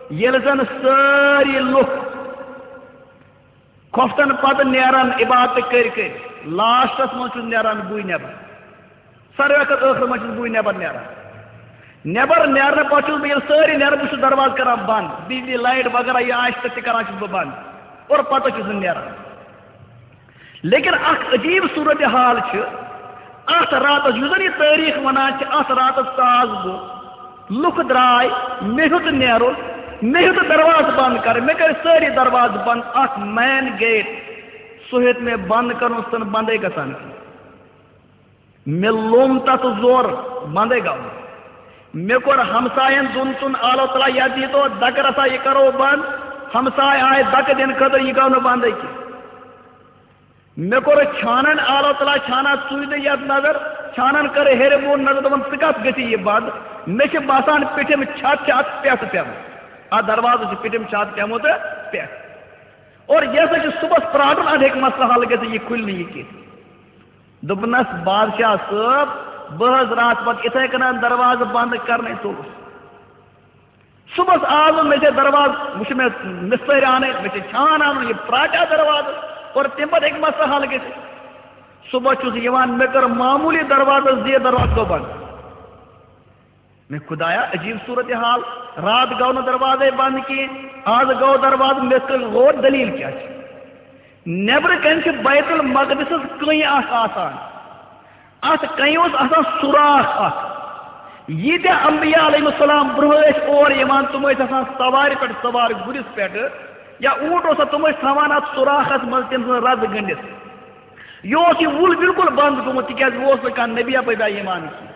ییٚلہِ زن سٲری لُکھ کھۄفتن پتہٕ نیران عبادت کٔرۍ کٔرۍ، لاسٹس منٛز چھُس نیران بٕے نٮ۪بر۔ ساروی کھۄتہٕ ٲخرس منٛز چھُس بٕے نٮ۪بر نیران۔ نٮ۪بر نیرنہٕ پتہٕ چھُس بہٕ، ییٚلہِ سٲری نیران، بہٕ چھُس دروازٕ کران بند، بجلی لایٹ وغیرہ یہِ آسہِ تہٕ تہِ کران چھُس بہٕ بند، اور پتہٕ چھُس بہٕ نیران۔ لیکن اکھ عجیب صورتحال چھِ اتھ راتس، یُس زن یہِ تٲریخ ونان چھِ، اتھ راتس ژاس بہٕ، لُکھ درٛاے، مےٚ ہیوٚت نیرُن، مےٚ ہیوٚت دروازٕ بنٛد کرٕنۍ، مےٚ کٔرۍ سٲری دروازٕ بنٛد، اکھ مین گیٹ، سُہ ہیوٚت مےٚ بنٛد کرُن، سُہ چھُنہٕ بندے گژھان کینٛہہ۔ مےٚ لوٚم تتھ زور، بندے گوٚو۔ مےٚ کوٚر ہمساین دۄن ژۄن، اللہ تعالیٰ یتھ دیٖتو دکہٕ رسا، یہِ کرو بند۔ ہمساے آے دکہٕ دِنہٕ خٲطرٕ، یہِ گوٚو نہٕ بندے کینٛہہ۔ مےٚ کوٚر چھانن، اللہ تعالیٰ چھانا ژُے نہٕ یتھ نظر، چھانن کٔر ہیٚرِ بۄن نظر، دوٚپُن، ژٕ کتھ گٔژھی یہِ بند؟ مےٚ چھِ باسان، پیٚٹھِم چھت چھِ اتھ پٮ۪ٹھ پیمٕژ، اتھ دروازس چھِ پیٚٹھِم چھت پیمُت پٮ۪ٹھ۔ اور یہِ ہسا چھُ صُبحس پرٛارُن، اتھ ہیٚکہِ مسلہٕ حل گٔژھِتھ، یہِ کھُلہِ نہٕ یہِ کینٛہہ۔ دوٚپنس، بادشاہ صٲب، بہٕ حظ راتھ پتہٕ اِتھے کٔنۍ دروازٕ بند کرنے ژوٚلُس۔ صُبحس آو نہٕ، مےٚ چھِ دروازٕ، وٕچھ مےٚ مِستٔرۍ اَنٕنۍ، مےٚ چھِ چھان اَنُن، یہِ پرٛاٹیٛاہ دروازٕ، اور تَمہِ پتہٕ ہیٚکہِ مسلہٕ حل گٔژھِتھ۔ صُبحس چھُس یِوان، مےٚ کٔر معموٗلی دروازس زیٖر، دروازٕ گوٚو بنٛد۔ مےٚ خۄدایا، عجیٖب صوٗرت حال، راتھ گوٚو نہٕ دروازے بنٛد کینٛہہ، آز گوٚو دروازٕ، مےٚ کٔر غور، دٔلیٖل کیٛاہ چھِ؟ نٮ۪برٕ کَنہِ چھِ بیت المقدسَس کٔنۍ اَکھ آسان، اَتھ کَنہِ اوس آسان سوراخ اَکھ۔ ییٖتیٛاہ انبیاء علیہم السلام برٛونٛہہ ٲسۍ اور یِوان، تِم ٲسۍ آسان سوارِ پٮ۪ٹھ سوار، گُرِس پٮ۪ٹھ یا اوٗنٹ اوس آسان، تِم ٲسۍ تھاوان اَتھ سوراخَس منٛز تٔمۍ سٕنٛز رَزٕ گٔنٛڈِتھ۔ یہِ اوس یہِ وُل بِلکُل بنٛد گوٚمُت، تِکیٛازِ یہِ اوس نہٕ کانٛہہ نبیہ پبیہ یِوان کینٛہہ۔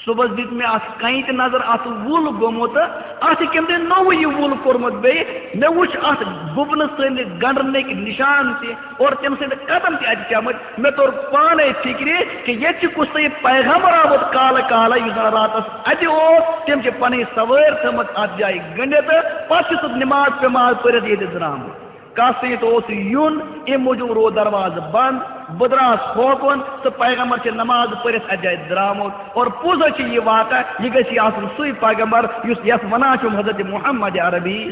صُبحس دیُت مےٚ اَتھ کَنہِ تہِ نظر، اَتھ وُل گوٚمُت، اَتھ چھِ کٔمۍ تانۍ نوٚوُے یہِ وُل کوٚرمُت بیٚیہِ۔ مےٚ وُچھ اَتھ گُپنہٕ سٕنٛدِ گنٛڈنٕکۍ نِشان تہِ اور تٔمۍ سٕنٛدِ قدم تہِ اَتہِ پیٚمٕتۍ۔ مےٚ توٚر پانَے فِکرِ کہِ ییٚتہِ چھُ کُس تام پیغمبر آمُت کالہٕ کالہٕ، یُس زَن راتَس اَتہِ اوس۔ تٔمۍ چھِ پَنٕنۍ سوٲرۍ تھٲومٕژ اَتھ جایہِ گٔنٛڈِتھ، پَتہٕ چھُ سُہ نِماز پیماز پٔرِتھ ییٚتہِ درٛامُت۔ کَس سۭتۍ اوس یُن، اَمہِ موٗجوٗب روٗد دروازٕ بنٛد۔ بہٕ درٛاس ہوکُن، سُہ پیغمبر چھِ نماز پٔرِتھ اَتہِ جایہِ درٛامُت۔ اور پوٚز حظ چھِ یہِ واقعہ، یہِ گژھِ یہِ آسُن سُے پیغمبر یُس یَتھ وَنان چھُم حضرت محمد عربی۔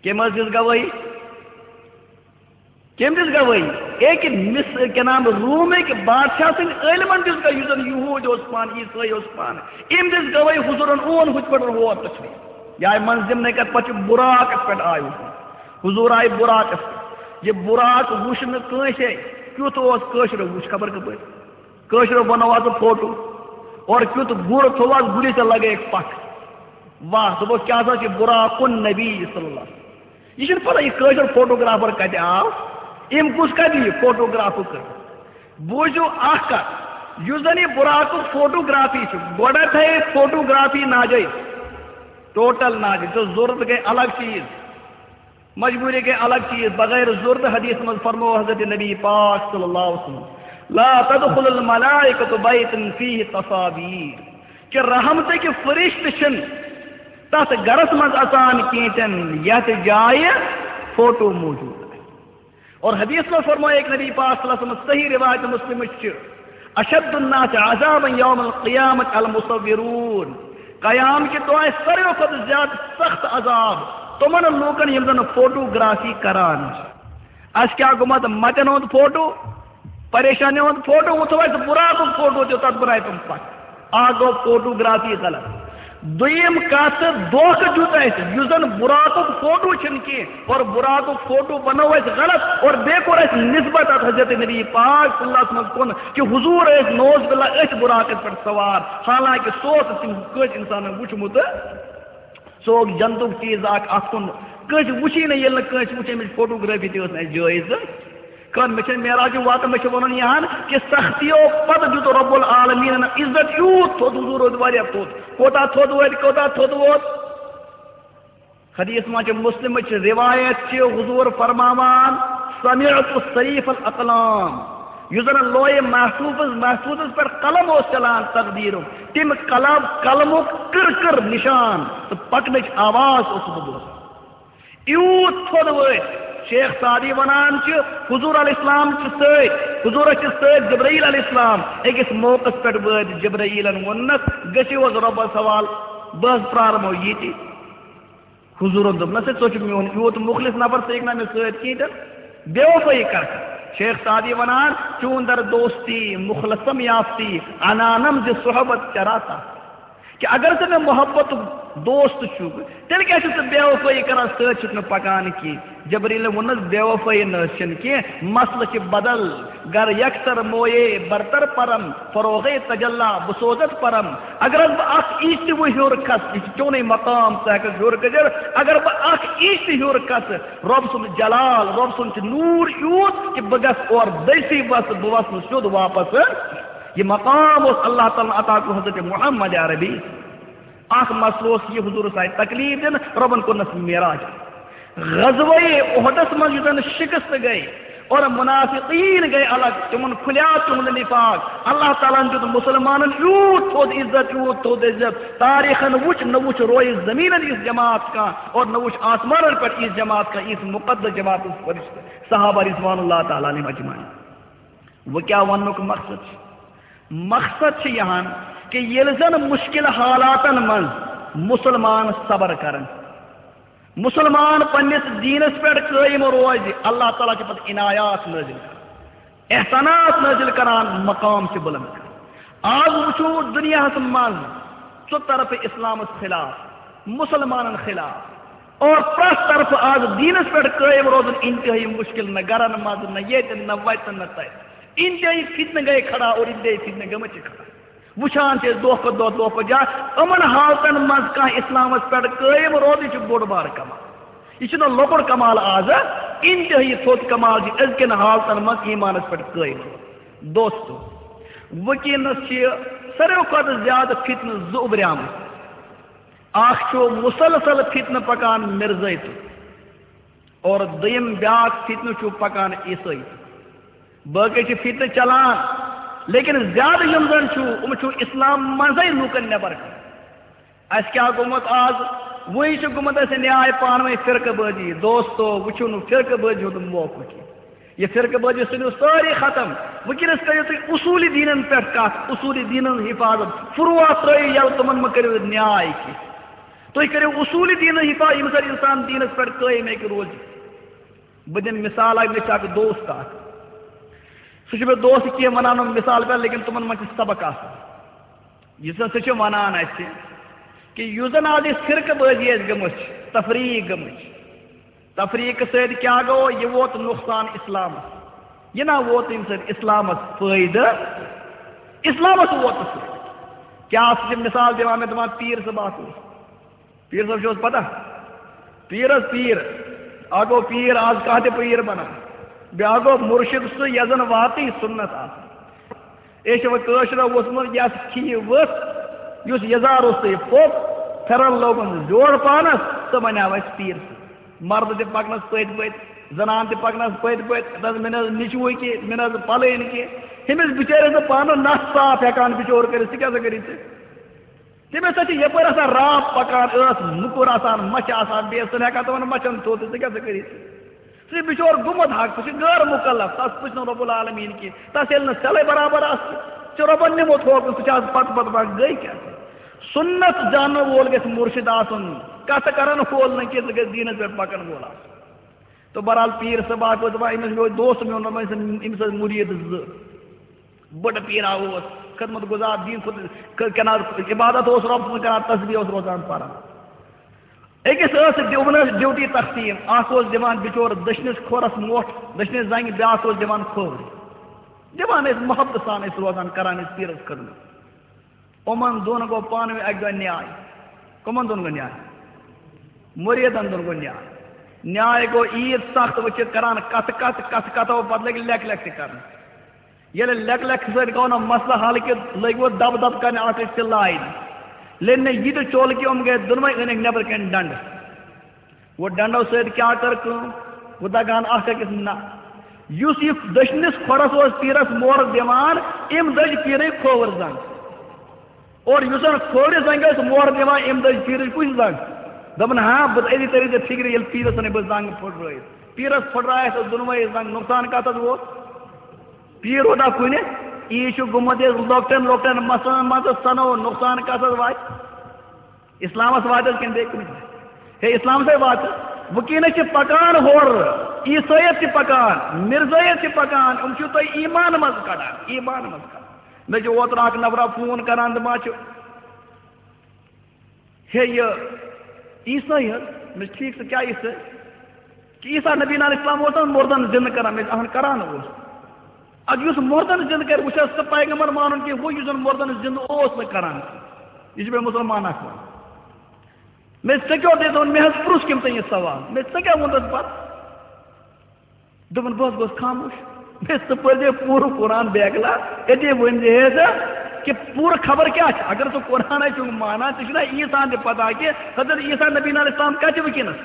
کٔمۍ حظ دِژ گوٲہی؟ کٔمۍ دِژ گوٲہی؟ أکۍ مِس-، کیٛاہ نام، رومٕکۍ بادشاہ سٕنٛدۍ عٲلمَن دِژ گوٲہی، یُس زَن یہوٗدۍ اوس پانہٕ، عیٖسٲے اوس پانہٕ۔ أمۍ دِژ گوٲہی، حضوٗرَن اون ہُتھ پٲٹھۍ ہور تَشریٖف۔ یہِ آیہِ منٛز ضِمنَے کَتھ، پَتہٕ چھُ بُراقَس پٮ۪ٹھ آیہِ حضوٗر۔ حضوٗر آیہِ بُراقَس پٮ۪ٹھ۔ یہِ بُراق وُچھ نہٕ کٲنٛسے، کیُتھ اوس، کٲشرو وُچھ خبر کَپٲرۍ۔ کٲشرو بنوو اَتھ فوٹو۔ اور کیُتھ گُر تھوٚو اَتھ، گُرِس تہِ لگٲیِکھ پَکھ۔ واہ، دوٚپُکھ، کیٛاہ سا چھِ بُراق النبی صلی اللہ علیہ وسلم۔ یہِ چھُنہٕ پَتہ، یہِ کٲشُر فوٹوگرافر کَتہِ آو، أمۍ کُس کَتہِ یہِ فوٹوگرافُک کٔر۔ بوٗزِو اَکھ کَتھ، یُس زَن یہِ بُراقُک فوٹوگرافی چھُ، گۄڈٕنٮ۪تھٕے فوٹوگرافی ناجٲیِز، ٹوٹل ناجٲیِز، تہٕ ضوٚرَتھ گٔے الگ چیٖز۔ مجبوٗری گٔے الگ چیٖز، بغٲر ضوٚرتھ۔ حدیث منٛز فرموو حضرت نبی پاک صلی اللہ علیہ وسلم، "لا تدخل الملائکۃ بیتن فیہ تصاویر"، کہ رحمتٕکۍ فرشتہٕ چھِنہٕ تتھ گرس منٛز اژان کینٛہہ تہِ نہٕ یتھ جایہِ فوٹو موجود آسہِ۔ اور حدیث منٛز فرموو ایک نبی پاک صلی اللہ علیہ وسلم، صحیح روایت مسلمٕچ چھِ، "اشد الناس عذابا یوم القیامۃ المصورون"، قیام کہِ دۄہ آسہِ ساروی کھۄتہٕ زیادٕ سخت عذاب تِمن لوٗکن یِم زن فوٹوگرافی کران چھِ۔ اسہِ کیٛاہ گوٚمت؟ متٮ۪ن ہُنٛد فوٹو، پریشانین ہُنٛد فوٹو، وُچھو اسہِ براقُک فوٹو تہِ، تتھ بنایہِ تِم پتھ۔ اکھ گوٚو فوٹوگرافی غلط۔ دوٚیِم کتھ، دھوکہٕ دیُت اسہِ، یُس زن براقُک فوٹو چھُنہٕ کینٛہہ، اور براقُک فوٹو بنوو اسہِ غلط، اور بیٚیہِ کوٚر اسہِ نسبت اتھ حضرت نبی پاک صلی اللہ علیہ وسلمس کُن کہِ حضور ٲسۍ نعوذ باللہ أتھۍ براقس پٮ۪ٹھ سوار، حالانکہ سُہ اوس نہٕ تِم کٲنٛسہِ انسانن وُچھمُت۔ سُہ اوس جنتُک چیٖز اکھ اتھ کُن۔ کٲنٛسہِ وُچھی نہٕ، ییٚلہِ نہٕ کٲنٛسہِ وُچھ، اَمِچ فوٹوگرافی تہِ ٲس نہٕ اَسہِ جٲیز۔ کانٛہہ، مےٚ چھَنہٕ معراج واتان، مےٚ چھِ وَنُن یہِ ہن کہِ سختیو پتہٕ دیُت رب العالمیٖنَن عزت یوٗت تھوٚد، حضور روٗد واریاہ تھوٚد۔ کوٗتاہ تھوٚد ووت، کوٗتاہ تھوٚد ووت؟ حدیث منٛز چھِ، مسلمٕچ روایت چھِ، حضور فرماوان، "سمعت صریف الاقلام"، یُس زن لوح محفوظ، محفوظس پٮ۪ٹھ قلم اوس چلان تقدیرُک، تِم قلم، قلمُک کٕر کٕر نشان تہٕ پکنٕچ آواز اوسُس بہٕ بوزان۔ یوٗت تھوٚد وٲتۍ۔ شیخ سعدی ونان چھِ، حضور علیہ السلام چھِ سۭتۍ، حضورس چھِ سۭتۍ جبرائیل علیہ السلام۔ أکِس موقعس پٮ۪ٹھ وٲتۍ جبرائیلن، ووٚننس، "گٔژھِو حظ رۄبس حوالہٕ، بہٕ حظ پرارمو ییٚتی۔" حضورن دوٚپنس، "ہے، ژٕ چھُکھ میون یوٗت مُخلص نفر، ژٕ ہیٚکھ نہ مےٚ سۭتۍ کِہیٖنۍ تہِ؟ بے وفٲیی کر ژٕ۔" شیخ سعدی ونان، "چون در دوستی مخلصم یافتی، انانم ز صحبت چراتا۔" کہ اگر ژٕ مےٚ محبتُک دوست چھُکھ، تیٚلہِ کیٛاہ چھُکھ ژٕ بے وفٲیی کران، سۭتۍ چھُکھ نہٕ پکان کینٛہہ؟ جبریٖلن ووٚننس، بے وفٲیی نہ حظ چھِنہٕ کینٛہہ، مسلہٕ چھِ بدل۔ گر یکسر مویے برتر پرم، فروغ تجلا بسوزت پرم۔ اگر حظ بہٕ اکھ inch تہِ وۄنۍ ہیوٚر کھسہٕ، یہِ چھُ چونُے مقام، ژٕ ہٮ۪ککھ ہیوٚر کھٔسِتھ۔ اگر بہٕ اکھ inch تہِ ہیوٚر کھسہٕ، رۄب سُنٛد جلال، رۄب سُنٛد چھُ نوٗر یوٗت کہِ بہٕ گژھٕ اورٕ دٔسۍ وَسہٕ، بہٕ وَسہٕ نہٕ سیوٚد واپس۔ یہِ مقام اوس اللہ تعالیٰ ہن عطا کوٚرمُت حضرت محمد عربی۔ اکھ مسلہٕ اوس یہِ، حضورس آیہِ تکلیف دِنہٕ، رۄبن کوٚرنس معراج۔ غزوہ احدس منٛز یُس زن شکست گٔے اور منافقین گٔے الگ، تِمن کھلیو تِہُنٛد نفاق۔ اللہ تعالیٰ ہن دیُت مسلمانن یوٗت تھوٚد عزت، یوٗت تھوٚد عزت، تاریخن وُچھ نہ وُچھ رویہِ زمینن یِژھ جماعت کانٛہہ اور نہ وُچھ آسمانن پٮ۪ٹھ یِژھ جماعت کانٛہہ، یِژھ مقدس جماعت اوس فرشتہٕ صحابہ رضوان اللہ تعالیٰ علیہم اجمعین۔ وۄنۍ کیٛاہ وننُک مقصد چھُ؟ مقصد چھُ یہِ ہن کہِ ییٚلہِ زن مشکل حالاتن منٛز مسلمان صبر کرن، مسلمان پننِس دیٖنس پٮ۪ٹھ قٲیِم روزِ، اللہ تعالیٰ چھُ پتہٕ عنایات نٲزِل کران، احسانات نٲزِل کران، مقام چھُ بلند کران۔ آز وٕچھو دُنیاہس منٛز ژٕ طرفہٕ اسلامس خلاف، مسلمانن خلاف، اور پرٛٮ۪تھ طرفہٕ آز دیٖنس پٮ۪ٹھ قٲیِم روزُن انتہٲیی مشکل، نہ گرن منٛز، نہ ییٚتہِ، نہ وتہِ، نہ تتہِ۔ انتہٲیی فتنہٕ گٔے کھڑا اور انتہٲیی فتنہٕ گٔمٕتۍ چھِ کھڑا۔ وٕچھان چھِ أسۍ دۄہ کھۄتہٕ دۄہ، دۄہ کھۄتہٕ زیادٕ۔ یِمن حالتن منٛز کانٛہہ اسلامس پٮ۪ٹھ قٲیِم روزُن، یہِ چھُ بوٚڑ بار کمال۔ یہِ چھُنہٕ لۄکُٹ کمال آز، انتہٲیی تھوٚد کمال چھُ أزکٮ۪ن حالتن منٛز ایمانس پٮ۪ٹھ قٲیِم روزُن۔ دوستو، وٕنکیٚنس چھِ ساروی کھۄتہٕ زیادٕ فتنہٕ زٕ اُبریمٕتۍ۔ اکھ چھُ مسلسل فتنہٕ پکان مرزٲیتُک، اور دوٚیِم بیٛاکھ فتنہٕ چھُ پکان عیسٲیی۔ باقٕے چھِ فتنہٕ چلان، لیکن زیادٕ یِم زن چھُ، یِم چھُ اسلام منٛزے لوٗکن نٮ۪بر کڑان۔ اسہِ کیٛاہ گوٚمُت آز؟ وۄنۍ چھُ گوٚمُت اسہِ نیاے پانہٕ ؤنۍ فرقہٕ بٲزی۔ دوستو، وۄنۍ چھُنہٕ فرقہٕ بٲزی ہُنٛد موقعہٕ کینٛہہ۔ یہِ فرقہٕ بٲزی ژھٕنِو سٲری ختم۔ وٕنکیٚنس کٔرِو تُہۍ اصوٗلی دیٖنن پٮ۪ٹھ کتھ، اصوٗلی دیٖنن ہنٛز حفاظت۔ فروع ترٲیِو یَلہٕ، تِمن مہ کٔرِو نیاے کینٛہہ۔ تُہۍ کٔرِو اصوٗلی دیٖنٕچ حفاظت، ییٚمہِ ساتہٕ اِنسان دیٖنَس پٮ۪ٹھ قٲیِم ہیٚکہِ روٗزِتھ۔ بہٕ دِمہٕ مِثال اَکھ، مےٚ چھُ اَکھ دوست اَکھ۔ سُہ چھُ مےٚ دوست کینٛہہ وَنان یِم مِثال پٮ۪ٹھ، لیکِن تِمَن منٛز چھِ سبق آسان۔ یُس زَن سُہ چھُ وَنان اَسہِ کہِ یُس زَن آز یہِ فرقہٕ بٲزی اَسہِ گٔمٕژ چھِ، تفریٖق گٔمٕژ چھِ، تفریٖقہٕ سۭتۍ کیٛاہ گوٚو؟ یہِ ووت نۄقصان اِسلامَس۔ یہِ نا ووت اَمہِ سۭتۍ اِسلامَس فٲیدٕ؟ اِسلامَس ووت نہٕ فٲیدٕ۔ کیٛاہ سُہ چھُ مِثال دِوان مےٚ، دَپان پیٖر صٲب اَکھ اوس۔ پیٖر صٲب چھُ حظ پتہ؟ پیٖر حظ پیٖر۔ اکھ گوٚو پیٖر، آز کانٛہہ تہِ پیٖر بنان۔ بیٛاکھ گوٚو مُرشِد سُہ یَس زَن واقعی سُنت آسان۔ أسۍ چھِ وۄنۍ کٲشرٮ۪و ووٚتھمُت، یَس کھیہِ ؤژھ، یُس یَزار اوس تہٕ یہِ پھوٚک، پھٮ۪رن لوگُن زیوٗٹھ پانَس، سُہ بنیٛاو اَسہِ پیٖر صٲب۔ مردٕ تہِ پکنس پٔتۍ پٔتۍ، زنان تہِ پکنس پٔتۍ پٔتۍ، دَپس، "مےٚ نہ حظ نیٚچوٗ کہِ، مےٚ نہ حظ پلٲنۍ کہِ، ہُمِس بِچٲرِس نہٕ پانہٕ نَس صاف ہٮ۪کان بِچور کٔرِتھ، ژٕ کیٛاہ سا کٔرِتھ ژٕ؟" تٔمِس سۭتۍ چھِ یَپٲرۍ آسان راو پَکان، ٲس موٚکُر آسان، مَچھِ آسان، بیٚیہِ ٲس نہٕ ہٮ۪کان تِمَن مَچھَن تھوٚد تہٕ ژٕ کیٛاہ سا کٔرِتھ؟ سُہ چھُ بِچور گوٚمُت حق، سُہ چھُ غٲر مُکلف، تَس پُچھ نہٕ رۄب العالمیٖن کینٛہہ، تَس ییٚلہِ نہٕ سٮ۪لَے برابر آسہِ، ژےٚ رۄبَن نِمُت ہوکُن، سُہ چھُ آز پَتہٕ پَتہٕ پَتہٕ گٔے کیٛاہ؟ سنت زانن وول گژھِ مرشد آسُن، کتھ کرن وول نہٕ کینٛہہ، سُہ گژھِ دیٖنس پٮ۪ٹھ پکن وول آسُن۔ تہٕ بہرحال پیٖر صٲب اکھ اوس دپان، أمِس مےٚ اوس دوست میون، دوٚپمَس، أمِس ٲسۍ مُریٖد زٕ۔ بٔڑ پیٖرا اوس، خدمت گزار، دیٖن خود ک-، کران، عبادت اوس رۄب سٕنٛز کران، تسبیح اوس روزان پران۔ أکِس ٲس ڈیوٗنس ڈیوٹی تقسیٖم، اکھ اوس دِوان بِچور دٔچھنِس کھۄرس مۄٹھ، دٔچھنِس زنٛگہِ، بیٛاکھ اوس دِوان کھوورِ۔ دِوان ٲسۍ محبتہٕ سان، ٲسۍ روزان، کران ٲسۍ پیٖرس خدمت۔ یِمن دۄن گوٚو پانہٕ ؤنۍ اکہِ دۄہ نیاے۔ کٕمن دۄن گوٚو نیاے؟ مُریٖدن دۄن گوٚو نیاے۔ نیاے گوٚو عیٖد سخت، وۄنۍ چھِ کران کتھٕ کتھٕ، کتھٕ کتھو پتہٕ لٔگۍ لیکھ لیکھ تہِ کرنہِ۔ ییٚلہِ لیکھ لیکھ سۭتۍ گوٚو نہٕ مسلہٕ حل کہِ لٔگۍ وۄنۍ دب دب کرنہِ اکھ أکۍ سٕنٛدِ لایہِ۔ لٔگۍ نہٕ یہِ تہِ چول کہِ یِم گٔے دۄنوَے، أنِکھ نٮ۪برٕ کَنہِ ڈنڈٕ۔ وۄنۍ ڈنڈو سۭتۍ کیٛاہ کٔر کٲم؟ وۄنۍ دگان اکھ أکِس نہ۔ یُس یہِ دٔچھنِس کھۄرس اوس پیٖرس مۄہر دِوان، أمۍ دٔج پیٖرٕے کھووُر زنٛگ۔ اور یُس زن کھوورِ زنٛگہِ اوس مۄہر دِوان، أمۍ دٔج پیٖرٕچ کُس زنٛگ؟ دوٚپُن، ہاں، بہٕ أتی تٔرِو ژےٚ فِکرِ، ییٚلہِ پیٖرس ژھٕنٕے بہٕ زنٛگ پھُٹرٲیِتھ۔ پیٖرس پھُٹرایَس ٲس دۄنوَے زنٛگ، نۄقصان کتھ حظ ووت؟ پیٖر ووتا کُنہِ؟ یہِ چھُ گوٚمُت یہِ لۄکٹٮ۪ن لۄکٹٮ۪ن مسلن منٛز ژھنو، نۄقصان کتھ حظ واتہِ؟ اسلامس واتہِ حظ کِنہٕ بیٚیہِ کُنہِ جایہِ؟ ہے، اسلامسٕے واتہِ۔ وٕنکیٚنس چھِ پکان ہورٕ، عیسٲیت چھِ پکان، مرزٲیت چھِ پکان، یِم چھِو تُہۍ ایمان منٛز کڑان، ایمان منٛز کڑان۔ مےٚ چھُ اوترٕ اکھ نفرا فون کران، دپان چھُ، ہے، یہِ عیسٲے حظ؟ مےٚ چھُ ٹھیٖک، ژٕ کیٛاہ عیسٲے؟ کہِ عیسیٰ نبی علیہ السلام اوس نہ مردن زندٕ کران؟ مےٚ چھُ، اہن، کران اوس۔ اَدٕ یُس مردن زندٕ کرِ، وۄنۍ چھا سُہ پیغمبر مانُن کینٛہہ، ہُہ یُس زن مردن زندٕ اوس نہٕ کران؟ یہِ چھُ مےٚ مُسلمان اکھ وَنان۔ مےٚ، ژےٚ کیٛاہ اوس دِتھ ووٚن؟ مےٚ حظ پرُژھ کٔمۍ تام یہِ سوال، مےٚ، ژےٚ کیٛاہ ووٚنُتھ پتہٕ؟ دوٚپُن، بہٕ حظ گوس خاموش۔ مےٚ، ژٕ پٔرۍ زِ پوٗرٕ قرآن بیکلا، أتی ؤنۍ زِ ہے ژٕ کہِ پوٗرٕ خبر کیٛاہ چھِ۔ اگر ژٕ قرآن آسہِ چھُنہٕ مانان، ژےٚ چھُنہ عیسیٰ ہن تہِ پتہ کہِ حضرت عیسیٰ نبی علیہ السلام کتہِ چھِ وٕنکیٚنس؟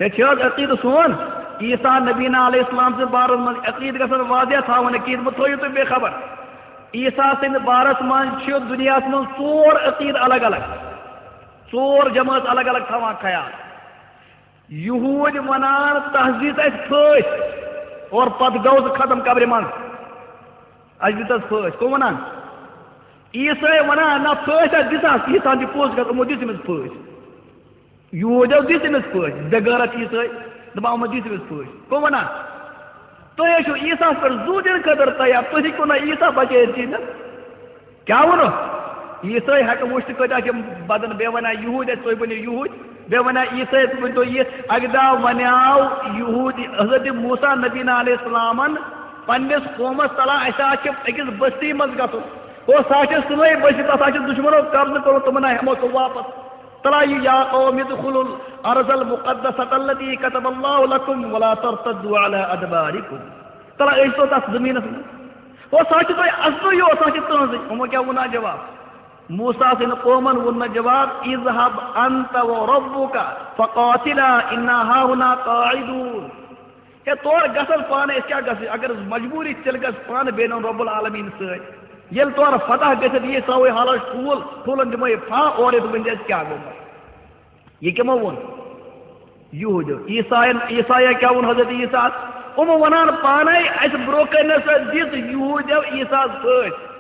ہے، چھِ حظ عقیٖدٕ سون؟ عیسیٰ نبی علیہ السلام سٕنٛدِ بارس منٛز عقیٖدٕ گژھن واضح تھاوٕنۍ، عقیٖدٕ مہٕ تھٲیِو تُہۍ بے خبر۔ عیسیٰ سٕنٛدِ بارس منٛز چھِ دُنیاہس منٛز ژور عقیٖدٕ الگ الگ، ژور جمٲژ الگ الگ تھاوان خیال۔ یہوٗدۍ ونان، تس دِژ اَسہِ پھٲسۍ اور پتہٕ گوٚو سُہ ختم قبرِ منٛز۔ اَسہِ دِژ اَسہِ پھٲسۍ۔ کٕم ونان؟ عیسٲے ونان، نہ، پھٲسۍ اَسہِ دِژ اَسہِ، عیسیٰ ہن چھِ پوٚز کتھ، یِمو دِژ أمِس پھٲسۍ۔ یہوٗدیو دِژ أمِس پھٲسۍ، بے غیرت عیسٲے، دپان، یِمو دِژ أمِس پھٲسۍ۔ کٕم ونان؟ تُہۍ ٲسِو عیسیٰ ہس پٮ۪ٹھ زُو دِنہٕ خٲطرٕ تیار، تُہۍ ہیٚکِو نہ عیسیٰ بچٲیِتھ کِہیٖنۍ نہٕ۔ کیٛاہ ووٚنُکھ؟ عیسٲے ہٮ۪کہٕ وٕچھتہٕ کۭتیٛاہ چھِ بدن، بیٚیہِ وَنان یہوٗدۍ اَسہِ، تُہۍ ؤنِو یہوٗدۍ، بیٚیہِ وَنان عیسٲے، تُہۍ ؤنۍتو یہِ۔ اَکہِ دۄہ وَنیٛاو یہوٗدۍ حضرت موسیٰ نبی علیہ السلامن پنٛنِس قومس، تَلہ اَسہِ حظ چھِ أکِس بستی منٛز گژھُن۔ او، سُہ حظ چھِ سٲنۍ بستی، تَتھ حظ چھِ دُشمنو قبضہٕ کوٚرمُت، تِمن ہا ہٮ۪مو سُہ واپس۔ تَلہ یہِ، یا قوم ادخلوا الارض المقدسة التي كتب الله لكم ولا ترتدوا على ادباركم۔ تَلہ أسۍ تو تَتھ زٔمیٖنَس منٛز۔ او، سۄ چھِ تۄہہِ اصلٕے یوت، سۄ چھِ تُہنٛزٕے۔ یِمو کیٛاہ ووٚن اَتھ جواب؟ موسیٰ سٕنٛدِ قومن ووٚن نہٕ جواب، "اذهب انت وربك فقاتلا انا هاهنا قاعدون۔" ہے، تور گژھن پانہٕ، أسۍ کیٛاہ گژھو؟ اگر مجبوٗری، تیٚلہِ گژھ پانہٕ بیٚہنُن رب العالمین سۭتۍ۔ ییٚلہِ تورٕ فتح گٔژھِتھ یی، ترٛاوَے حالس ٹھوٗل، ٹھوٗلن دِمو یہِ پھاہ، اورٕ یِتھ ؤنۍ زِ اَسہِ کیٛاہ گوٚو۔ یہِ کِمو ووٚن؟ یہوٗدیو۔ عیسایَن، عیسایَن کیٛاہ ووٚن حضرت عیسیٰ؟ یِمو وَنان پانے، اَسہِ برٛونٛہہ کَنہِ نَسا دِژ یہوٗدیو عیسیٰ ہَس پھٲسۍ۔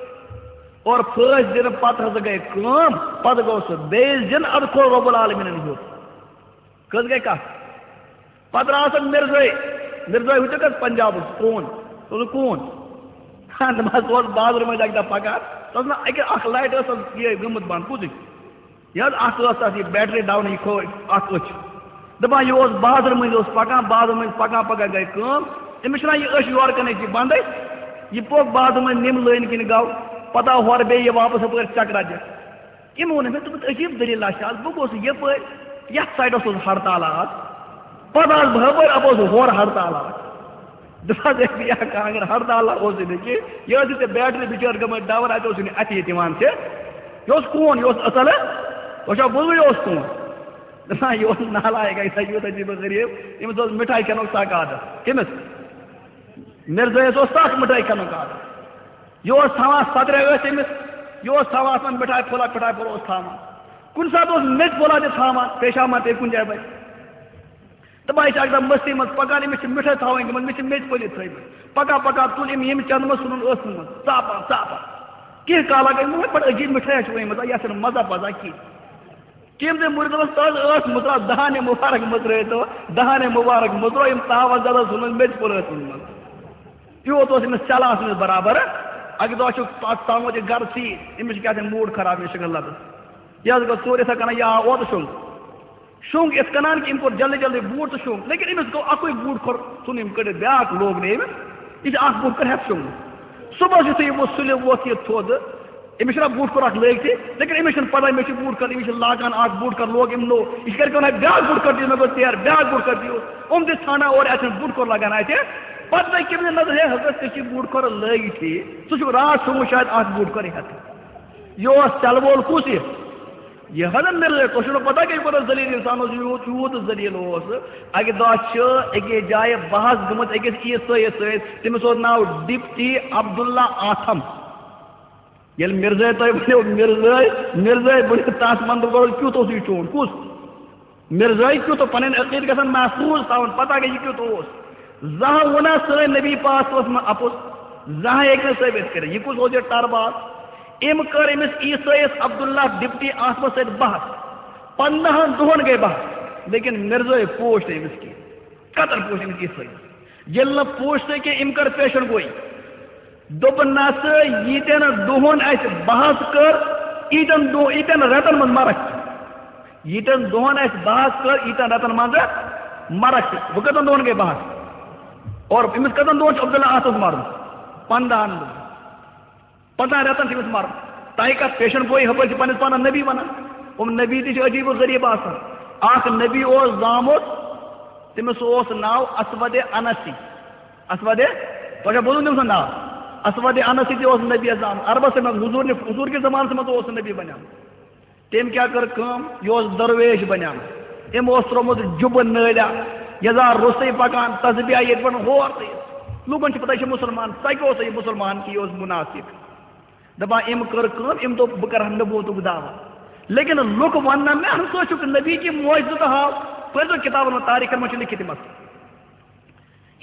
اور پھٲسۍ دِنہٕ پَتہٕ ہسا گٔے کٲم، پَتہٕ گوٚو سُہ بیٚیہِ زِنہٕ، اَدٕ کھوٚل رۄب العالمیٖنَن ہیوٚر۔ کٔژ گٔے کَتھ؟ پَتہٕ درٛاو سُہ مِرزٲے، مِرزٲے وٕچھِو کَتھ پنجابُک کوٗن، سُہ اوس کوٗن۔ ہاں، دوٚپمَس، سُہ اوس بازرٕ مٔنٛزۍ اَکہِ دۄہ پَکان، تَس نہ اَکہِ اَکھ لایٹ ٲس تَس یِہوٚے گٔمٕژ بنٛد، پوٚزُے۔ یہِ حظ، اَتھ ٲس تَتھ یہِ بیٹری ڈاوُن، یہِ کھوو اَتھ أچھ۔ دَپان، یہِ اوس بازرٕ مٔنٛزۍ اوس پَکان، بازرٕ مٔنٛزۍ پَکان پَکان گٔے کٲم، أمِس چھِنہ یہِ أچھ یورٕ کَنہِ أچھ یہِ بنٛدٕے، یہِ پوٚک بازرٕ مٔنٛزۍ نِم لٲنہِ کِنۍ گوٚو، پَتہٕ آو ہورٕ بیٚیہِ یہِ واپَس ہُپٲرۍ چَکرا دِتھ۔ یِمو ووٚن مےٚ، دوٚپُکھ، عجیٖب دٔلیٖل چھِ آز، بہٕ گوس یَپٲرۍ، یَتھ سایڈَس اوس ہڑتال آز، پَتہٕ آس بہٕ ہُپٲرۍ، اَپٲرۍ اوس ہورٕ ہڑتال آز۔ دوٚپمَس، ہے، یہِ ہا کانٛگٕر ہڑتال اوسُے نہٕ کینٛہہ، یہِ ٲس یہِ ژےٚ بیٹری بِچٲر گٔمٕژ ڈاوُن، اَتہِ اوسُے نہٕ اَتھِ یہِ دِوان ژےٚ۔ یہِ اوس کوٗن، یہِ اوس اَصٕل، وٕچھو، بوٗزُے اوس کوٗن۔ دَپان، یہِ اوس نالایق، یہِ اوس عجیٖب و غریٖب، أمِس اوس مِٹھایہِ کھٮ۪نُک سَکھ عادت۔ کٔمِس؟ مِرزٲیِس اوس سَکھ مِٹھٲے کھٮ۪نُک عادت۔ یہِ اوس تھاوان، سۄدرے ٲسۍ أمِس، یہِ اوس تھاوان اَتھ منٛز مِٹھایہِ پھوٚلہ، مِٹھایہِ پھوٚلہ اوس تھاوان۔ کُنہِ ساتہٕ اوس میٚژِ پھوٚلہ تہِ تھاوان، پیشاب ما پیٚیہِ کُنہِ جایہِ وَتہِ۔ دَپان، یہِ چھِ اَکہِ دۄہ مٔستی منٛز پَکان، أمِس چھِ مِٹھٲے تھاوٕنۍ گٔمٕژ، مےٚ چھِ میٚژِ پھٔلۍ تھٲومٕژ۔ پَکان پَکان تُل أمۍ ییٚمہِ چَندٕ منٛز، ژھُنُن ٲسَس منٛز، ژاپان، ژاپان۔ کینٛہہ کالا گٔے مگر بڑٕ عجیٖب مِٹھٲے چھِ ؤنمٕژ، یَتھ چھَنہٕ مَزٕ پَزان کینٛہہ۔ کٔمۍ تٔمۍ مُریٖدَس منٛز تَز ٲس مُژراو، دَہَن مُبارک مُژرٲے تو، دَہَن مُبارک مُژرو، یِم تاوَس زَدَس ہُنٛد مےٚ تہِ پھوٚل ٲس منٛز۔ یوٗت اوس أمِس چَلان اَتھ منٛز برابر۔ اَکہِ دۄہ چھُ پَتہٕ تامُت یہِ گَرٕ ژیٖرۍ، أمِس چھِ کیٛاہ تام موٗڈ خراب، أمِس چھِ شِکَن لَتَس۔ یہِ حظ گوٚو ژوٗرِ یِتھَے کَنۍ، یا اوترٕ شۄنٛگ۔ شۄنٛگ یِتھ کٔنۍ کہِ أمۍ کوٚر جلدی جلدی بوٗٹ تہٕ شۄنٛگ، لیکن أمِس گوٚو اَکُے بوٗٹ کھۄر ژھُن أمۍ کٔڑِتھ، بیٛاکھ لوگ نہٕ أمِس۔ یہِ چھِ اَکھ بوٗٹ کٔڑِتھ ہٮ۪تھ شۄنٛگمُت۔ صُبحَس یُتھُے یہِ وۄتھ سُلہِ وۄتھ یہِ تھوٚد، أمِس چھُنہ بوٗٹ کھۄر اَکھ لٲگتھٕے، لیکن أمِس چھُنہٕ پَتہ مےٚ چھُ بوٗٹ کھۄر، أمِس چھِ لاگان اَکھ بوٗٹ کھۄر لوگ أمۍ نوٚو، یہِ چھِ گَرِکٮ۪ن وَنان، "بیٛاکھ بوٗٹ کھۄر دِیِو مےٚ گوٚو ژیر، بیٛاکھ بوٗٹ کھۄر دِیِو۔" یِم تہِ ژھانٛڈان اورٕ، اَتہِ چھُنہٕ بوٗٹ کھۄر لَگان اَتہِ۔ پَتہٕ گٔے کٔمۍ سٕنٛز نظر، "ہے حضرت، ژےٚ چھُے بوٗٹ کھۄر لٲگتھٕے، ژٕ چھُکھ راتھ شۄنٛگمُت شاید اَکھ بوٗٹ کھۄر ہٮ۪تھ۔" یہِ اوس چلہٕ وول کُس یہِ؟ یہِ حضرت مرزا، تۄہہِ چھُو نہٕ پتہ کہِ یہِ کوٗتاہ ذلیل انسان اوس، یوٗت، یوٗت ذلیل اوس۔ اَکہِ دۄہ چھِ أکِس جایہِ بحث گٔمٕژ أکِس عیسٲیِس سۭتۍ، تٔمِس اوس ناو ڈپٹی عبداللہ آتھم۔ ییٚلہِ مرزا تۄہہِ ؤنِو، مرزا، مرزا ؤنِو، تَتھ منٛز گۄڈٕ کیُتھ اوس یہِ چون؟ کُس؟ مرزٲے کیُتھ اوس، پنٕنۍ عقیٖدٕ گژھن محفوظ تھاوُن، پتہ گٔے یہِ کیُتھ اوس۔ زانٛہہ ووٚنا سٲنۍ نبی پاک صلی اللہ علیہ وسلم اپُز؟ زانٛہہ ہیٚکہِ نہٕ ثٲبت کٔرِتھ۔ یہِ کُس اوس یہِ ٹرباز؟ أمۍ کٔر أمِس عیسٲیِس عبداللہ ڈپٹی آتھمس سۭتۍ بحث۔ پنٛداہن دۄہن گٔے بحث، لیکن مرزٲے پوچھ نہٕ أمِس کینٛہہ۔ قطر پوچھ أمِس عیسٲیِس۔ ییٚلہِ نہٕ پوچھ نہٕ کینٛہہ، أمۍ کٔر پیشن گویی۔ دوٚپُن، "نسا ییٖتٮ۪ن دۄہن اَسہِ بحث کٔر، ییٖتٮ۪ن دۄہ-، ییٖتٮ۪ن رٮ۪تن منٛز مرکھ ژٕ۔ ییٖتٮ۪ن دۄہن اَسہِ بحث کٔر، ییٖتٮ۪ن رٮ۪تن منٛز مرکھ ژٕ۔" وۄنۍ کٔژن دۄہن گٔے بحث؟ اور أمِس کٔژن دۄہن چھُ عبداللہ آتھس مرُن؟ پنٛداہن دۄہن۔ پنٛداہن رٮ۪تن چھُ أمِس مرُن۔ تۄہہِ کتھ پیشن گویی، ہُپٲرۍ چھِ پننِس پانس نبی ونان۔ یِم نبی تہِ چھِ عجیٖب و غریٖب آسان۔ اکھ نبی اوس زامُت، تٔمِس اوس ناو اسود انسی۔ اسود، تۄہہِ چھا بوٗزمُت تٔمۍ سُنٛد ناو؟ اسود انسی تہِ اوس نبی زامُت۔ عربس منٛز حضور نہِ، حضور کِس زمانس منٛز اوس نہٕ نبی بنیومُت۔ تٔمۍ کیٛاہ کٔر کٲم؟ یہِ اوس درویش بنیومُت۔ أمۍ اوس ترٛوومُت جُبہٕ نٲلۍ، یزار روٚستُے پکان، تسبیح ییٚتہِ پٮ۪ٹھ ہور تہٕ یہِ۔ لوٗکن چھِ پتہ، یہِ چھُ مُسلمان۔ سۄ کیٛاہ اوس یہِ مُسلمان کہِ یہِ اوس مُنافق؟ دپان، أمۍ کٔر کٲم، أمۍ دوٚپ، "بہٕ کرٕ ہا نبوتُک دعویٰ۔" لیکن لُکھ ونن مےٚ، "اہن سا، ژٕ چھُکھ نبی، کہِ معجزٕ تہٕ ہاو۔" پٔرۍزیو کِتابن منٛز، تاریخن منٛز چھِ لیکھِتھ یِم اَتھ۔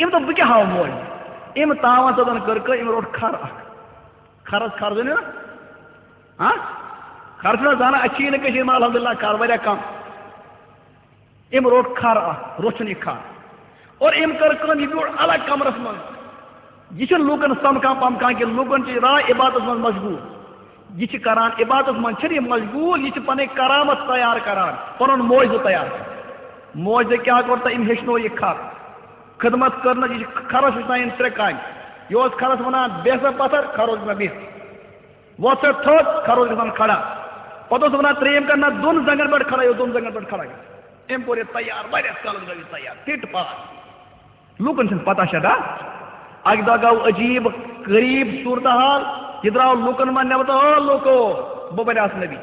أمۍ دوٚپ، "بہٕ کیٛاہ ہاوٕ معجزٕ؟" أمۍ تاوان ژۄدن کٔر کٲم، أمۍ روٚٹ کھر اکھ۔ کھرس کھر زٲنِو نا؟ ہاں؟ کھر چھُنہ زانان، اَسہِ چھِ یہِ نہٕ کٔشیٖرِ منٛز الحمدللہ کھر واریاہ کم۔ أمۍ روٚٹ کھر اکھ، روٚچھُن یہِ کھر۔ اور أمۍ کٔر کٲم، یہِ بیوٗٹھ الگ کمرس منٛز۔ یہِ چھُنہٕ لوٗکن سمکھان پمکھان کینٛہہ، لوٗکن چھِ راے عبادتس منٛز مشغول۔ یہِ چھِ کران عبادتس منٛز، چھِنہٕ یہِ مشغول، یہِ چھِ پنٕنۍ کرامت تیار کران، پنُن معجزٕ تیار کران۔ معجزٕ کیٛاہ کوٚر تہٕ أمۍ ہیٚچھنو یہِ کھر۔ خدمت کٔرنَس، یہِ چھِ کھرس وٕچھان یِم ترٛےٚ کامہِ۔ یہِ اوس کھرس وَنان، "بیٚہہ سا پَتھر"، کھر اوس وَنان، "بیٚہہ"۔ "وۄتھ سا تھوٚد"، کھر اوس گژھان کھڑا۔ پَتہٕ اوس وَنان ترٛیٚیِم کَتھ، "نہ، دۄن زنٛگن پٮ۪ٹھ کھڑا"، یہِ اوس دۄن زنٛگن پٮ۪ٹھ کھڑا گژھان۔ أمۍ کوٚر یہِ تیار، واریاہَس کالَس گوٚو یہِ تیار، فِٹ پاس۔ لوٗکَن چھِنہٕ پَتہ شَتہ۔ اَکہِ دۄہ گوٚو عجیٖب غریٖب صوٗرتحال، یہِ درٛاو لوٗکَن منٛز نٮ۪بر تہٕ، "او لوٗکو، بہٕ بَنیٛاس نبی،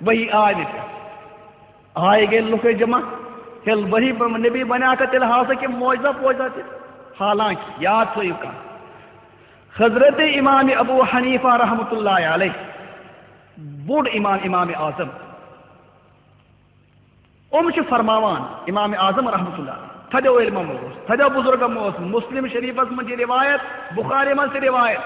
ؤحی آے مےٚ پٮ۪ٹھ۔" آے گٔے لُکھ جمع، ہے ؤحی ب-، نبی بنیٛاکھا تیٚلہِ ہاو سا کینٛہہ معجزہ پوجزہ تہِ؟ حالانکہ یاد تھٲیِو کَتھ، حضرت امام ابو حنیفہ رحمۃ اللہ علیہ، بوٚڑ امام، امام اعظم، یِم چھِ فرماوان، امام اعظم رحمۃ اللہ علیہ، تھدیو علمو منٛز اوس، تھدیو بزرگو منٛز اوس، مسلم شریفس منٛز چھِ روایت، بخاری منٛز تہِ روایت۔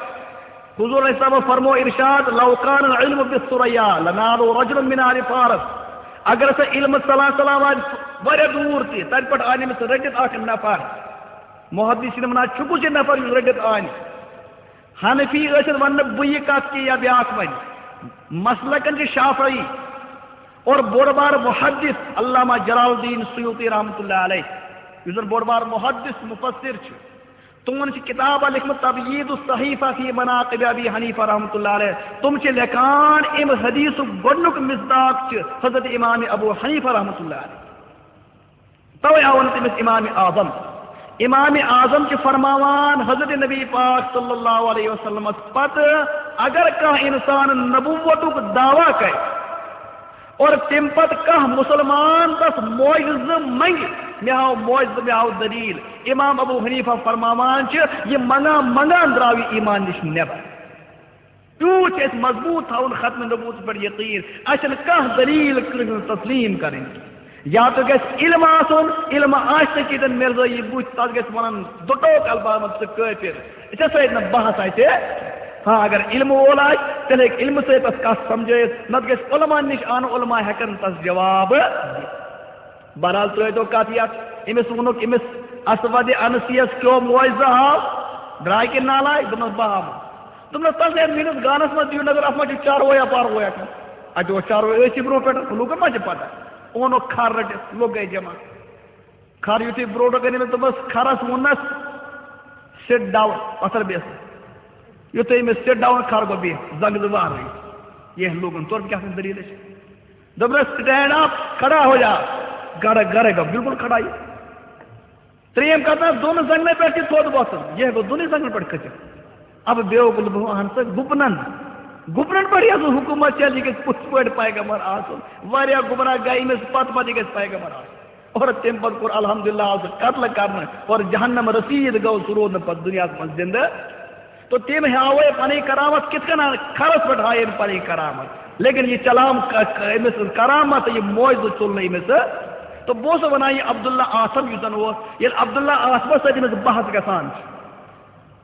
حضور علیہ السلام فرمو ارشاد، "لو کان العلم بالثریا لنالہ رجل من آل فارس"۔ اگر ہسا علم ژلان ژلان واتہِ واریاہ دوٗر تہِ، تتہِ پٮ۪ٹھ آنہِ أمِس رٔٹِتھ اکھ نفر۔ محدثین ونان، چھُ کُس یہِ نفر یُس رٔٹِتھ آنہِ؟ حنفی ٲسِتھ وننہٕ بہٕ یہِ کتھ کہِ یا بیاکھ ونہِ۔ مسلکن چھِ شافعی اور بوٚڑ بار محدث علامہ جلال الدین سیوطی رحمۃ اللہ علیہ، یُس زن بوٚڑ بار محدث مفسر چھُ۔ تِمن چھِ کِتابہ لیکھمٕژ تبیید الصحیفہ فی مناقب ابی حنیفہ رحمۃ اللہ علیہ۔ تِم چھِ لیکھان، امہِ حدیثُک گۄڈنیُک مصداق چھُ حضرت امام ابو حنیفہ رحمۃ اللہ علیہ۔ توے آو نہٕ تٔمِس امام اعظم۔ امام اعظم چھِ فرماوان، حضرت نبی پاک صلی اللہ علیہ وسلمس پتہٕ اگر کانٛہہ انسان نبوتُک دعویٰ کرِ، اور تمہِ پتہٕ کانٛہہ مسلمان تس معجزٕ منگہِ، مےٚ ہاو معجزٕ، مےٚ ہاو دلیل۔ امام ابو حنیفہ فرماوان چھِ، یہِ منگان منگان درٛاو یہِ ایمان نِش نٮ۪بر۔ تیوٗت چھُ اَسہِ مضبوٗط تھاوُن ختم نبوتس پٮ۪ٹھ یقین۔ اَسہِ چھَنہٕ کانٛہہ دلیل کٲنٛسہِ ہٕنٛز تسلیم کرٕنۍ۔ یا تہٕ گژھِ علم آسُن، علم آسہِ نہٕ کِتن مرزٲیی بُتھِ، تس گژھِ ونُن دُٹوک الفاظن منٛز، "ژٕ کٲفر"۔ ژےٚ سۭتۍ نہٕ بحث آسہِ۔ ہاں، اگر علم وول آسہِ، تیٚلہِ ہیٚکہِ علمہٕ سۭتۍ تَس کَتھ سَمجھٲیِتھ، نَتہٕ گژھِ علماء نِش اَنُن، علماء ہٮ۪کَن تَس جواب دِتھ۔ بہرحال، ترٛٲوۍ تو کَتھ یَتھ، أمِس ووٚنُکھ، أمِس اسود انسی یَس کیو معجزہ ہاو، درٛاے کِنہٕ نالایک؟ دوٚپنَس، بہٕ ہاوٕ۔ دوٚپنَس، تَس ہے میٛٲنِس گانَس منٛز دِیِو نظر، اَتھ منٛز چھُ چاروٲیا پاروٲیا کانٛہہ۔ اَتہِ اوس چاروٲے، ٲسۍ یہِ برٛونٛہہ پٮ۪ٹھ، لوٗکَن ما چھِ پَتہ؟ اوٚنُکھ کھَر رٔٹِتھ، لوٚگ گٔے جمع۔ کھَر یُتھُے برونٛٹھ کَنہِ أمِس دوٚپمَس، کھَرَس ووٚننَس، "Sit down"، پَتھَر بیٚہہ۔ یُتھُے أمِس sit down، کھَر گوٚو بِہِتھ، زنٛگہٕ زٕ وارٕے۔ یہِ لوٗکَن توٚر کیٛاہ سا دٔلیٖل چھِ۔ دوٚپنَس، "Stand up"، کھڑا ہو جا۔ گڑا گڑے گوٚو بِلکُل کھڑا یہِ۔ ترٛیٚیِم کَتھ، دۄن زنٛگنَن پٮ۪ٹھ تہِ تھوٚد وۄتھُن، یہِ ہیٚکو دۄنٕے زنٛگنَن پٮ۪ٹھ کھٔسِتھ۔ اب بیوقوٗف، بہٕ وَنہٕ ژٕ، گُپنَن، گُپنَن پٮ۪ٹھ یَس حکوٗمت چَلہِ، یہِ گژھِ پوٚتُس پٲٹھۍ پیغمبر آسُن۔ واریاہ گُمراہ گٔے أمِس پَتہٕ پَتہٕ، یہِ گژھِ پیغمبر آسُن۔ اور تَمہِ پَتہٕ کوٚر الحمدللہ آو سُہ قتل کرنہٕ اور جہنم رسیٖد گوٚو، سُہ روٗد نہٕ پَتہٕ دُنیاہَس منٛز زِندٕ۔ تو تٔمۍ ہاوے پَنٕنۍ کرامت کِتھ کٔنۍ، کھَرَس پٮ۪ٹھ ہایے أمۍ پَنٕنۍ کرامت، لیکن یہِ چلام ک-، ک-، أمِس سٕنٛز کرامت، یہِ معجزٕ ژوٚل نہٕ أمِس۔ تو بہٕ اوسُس وَنان، یہِ عبداللہ آتھم یُس زَن اوس، ییٚلہِ عبداللہ آتھمَس سۭتۍ أمِس بحث گژھان چھِ،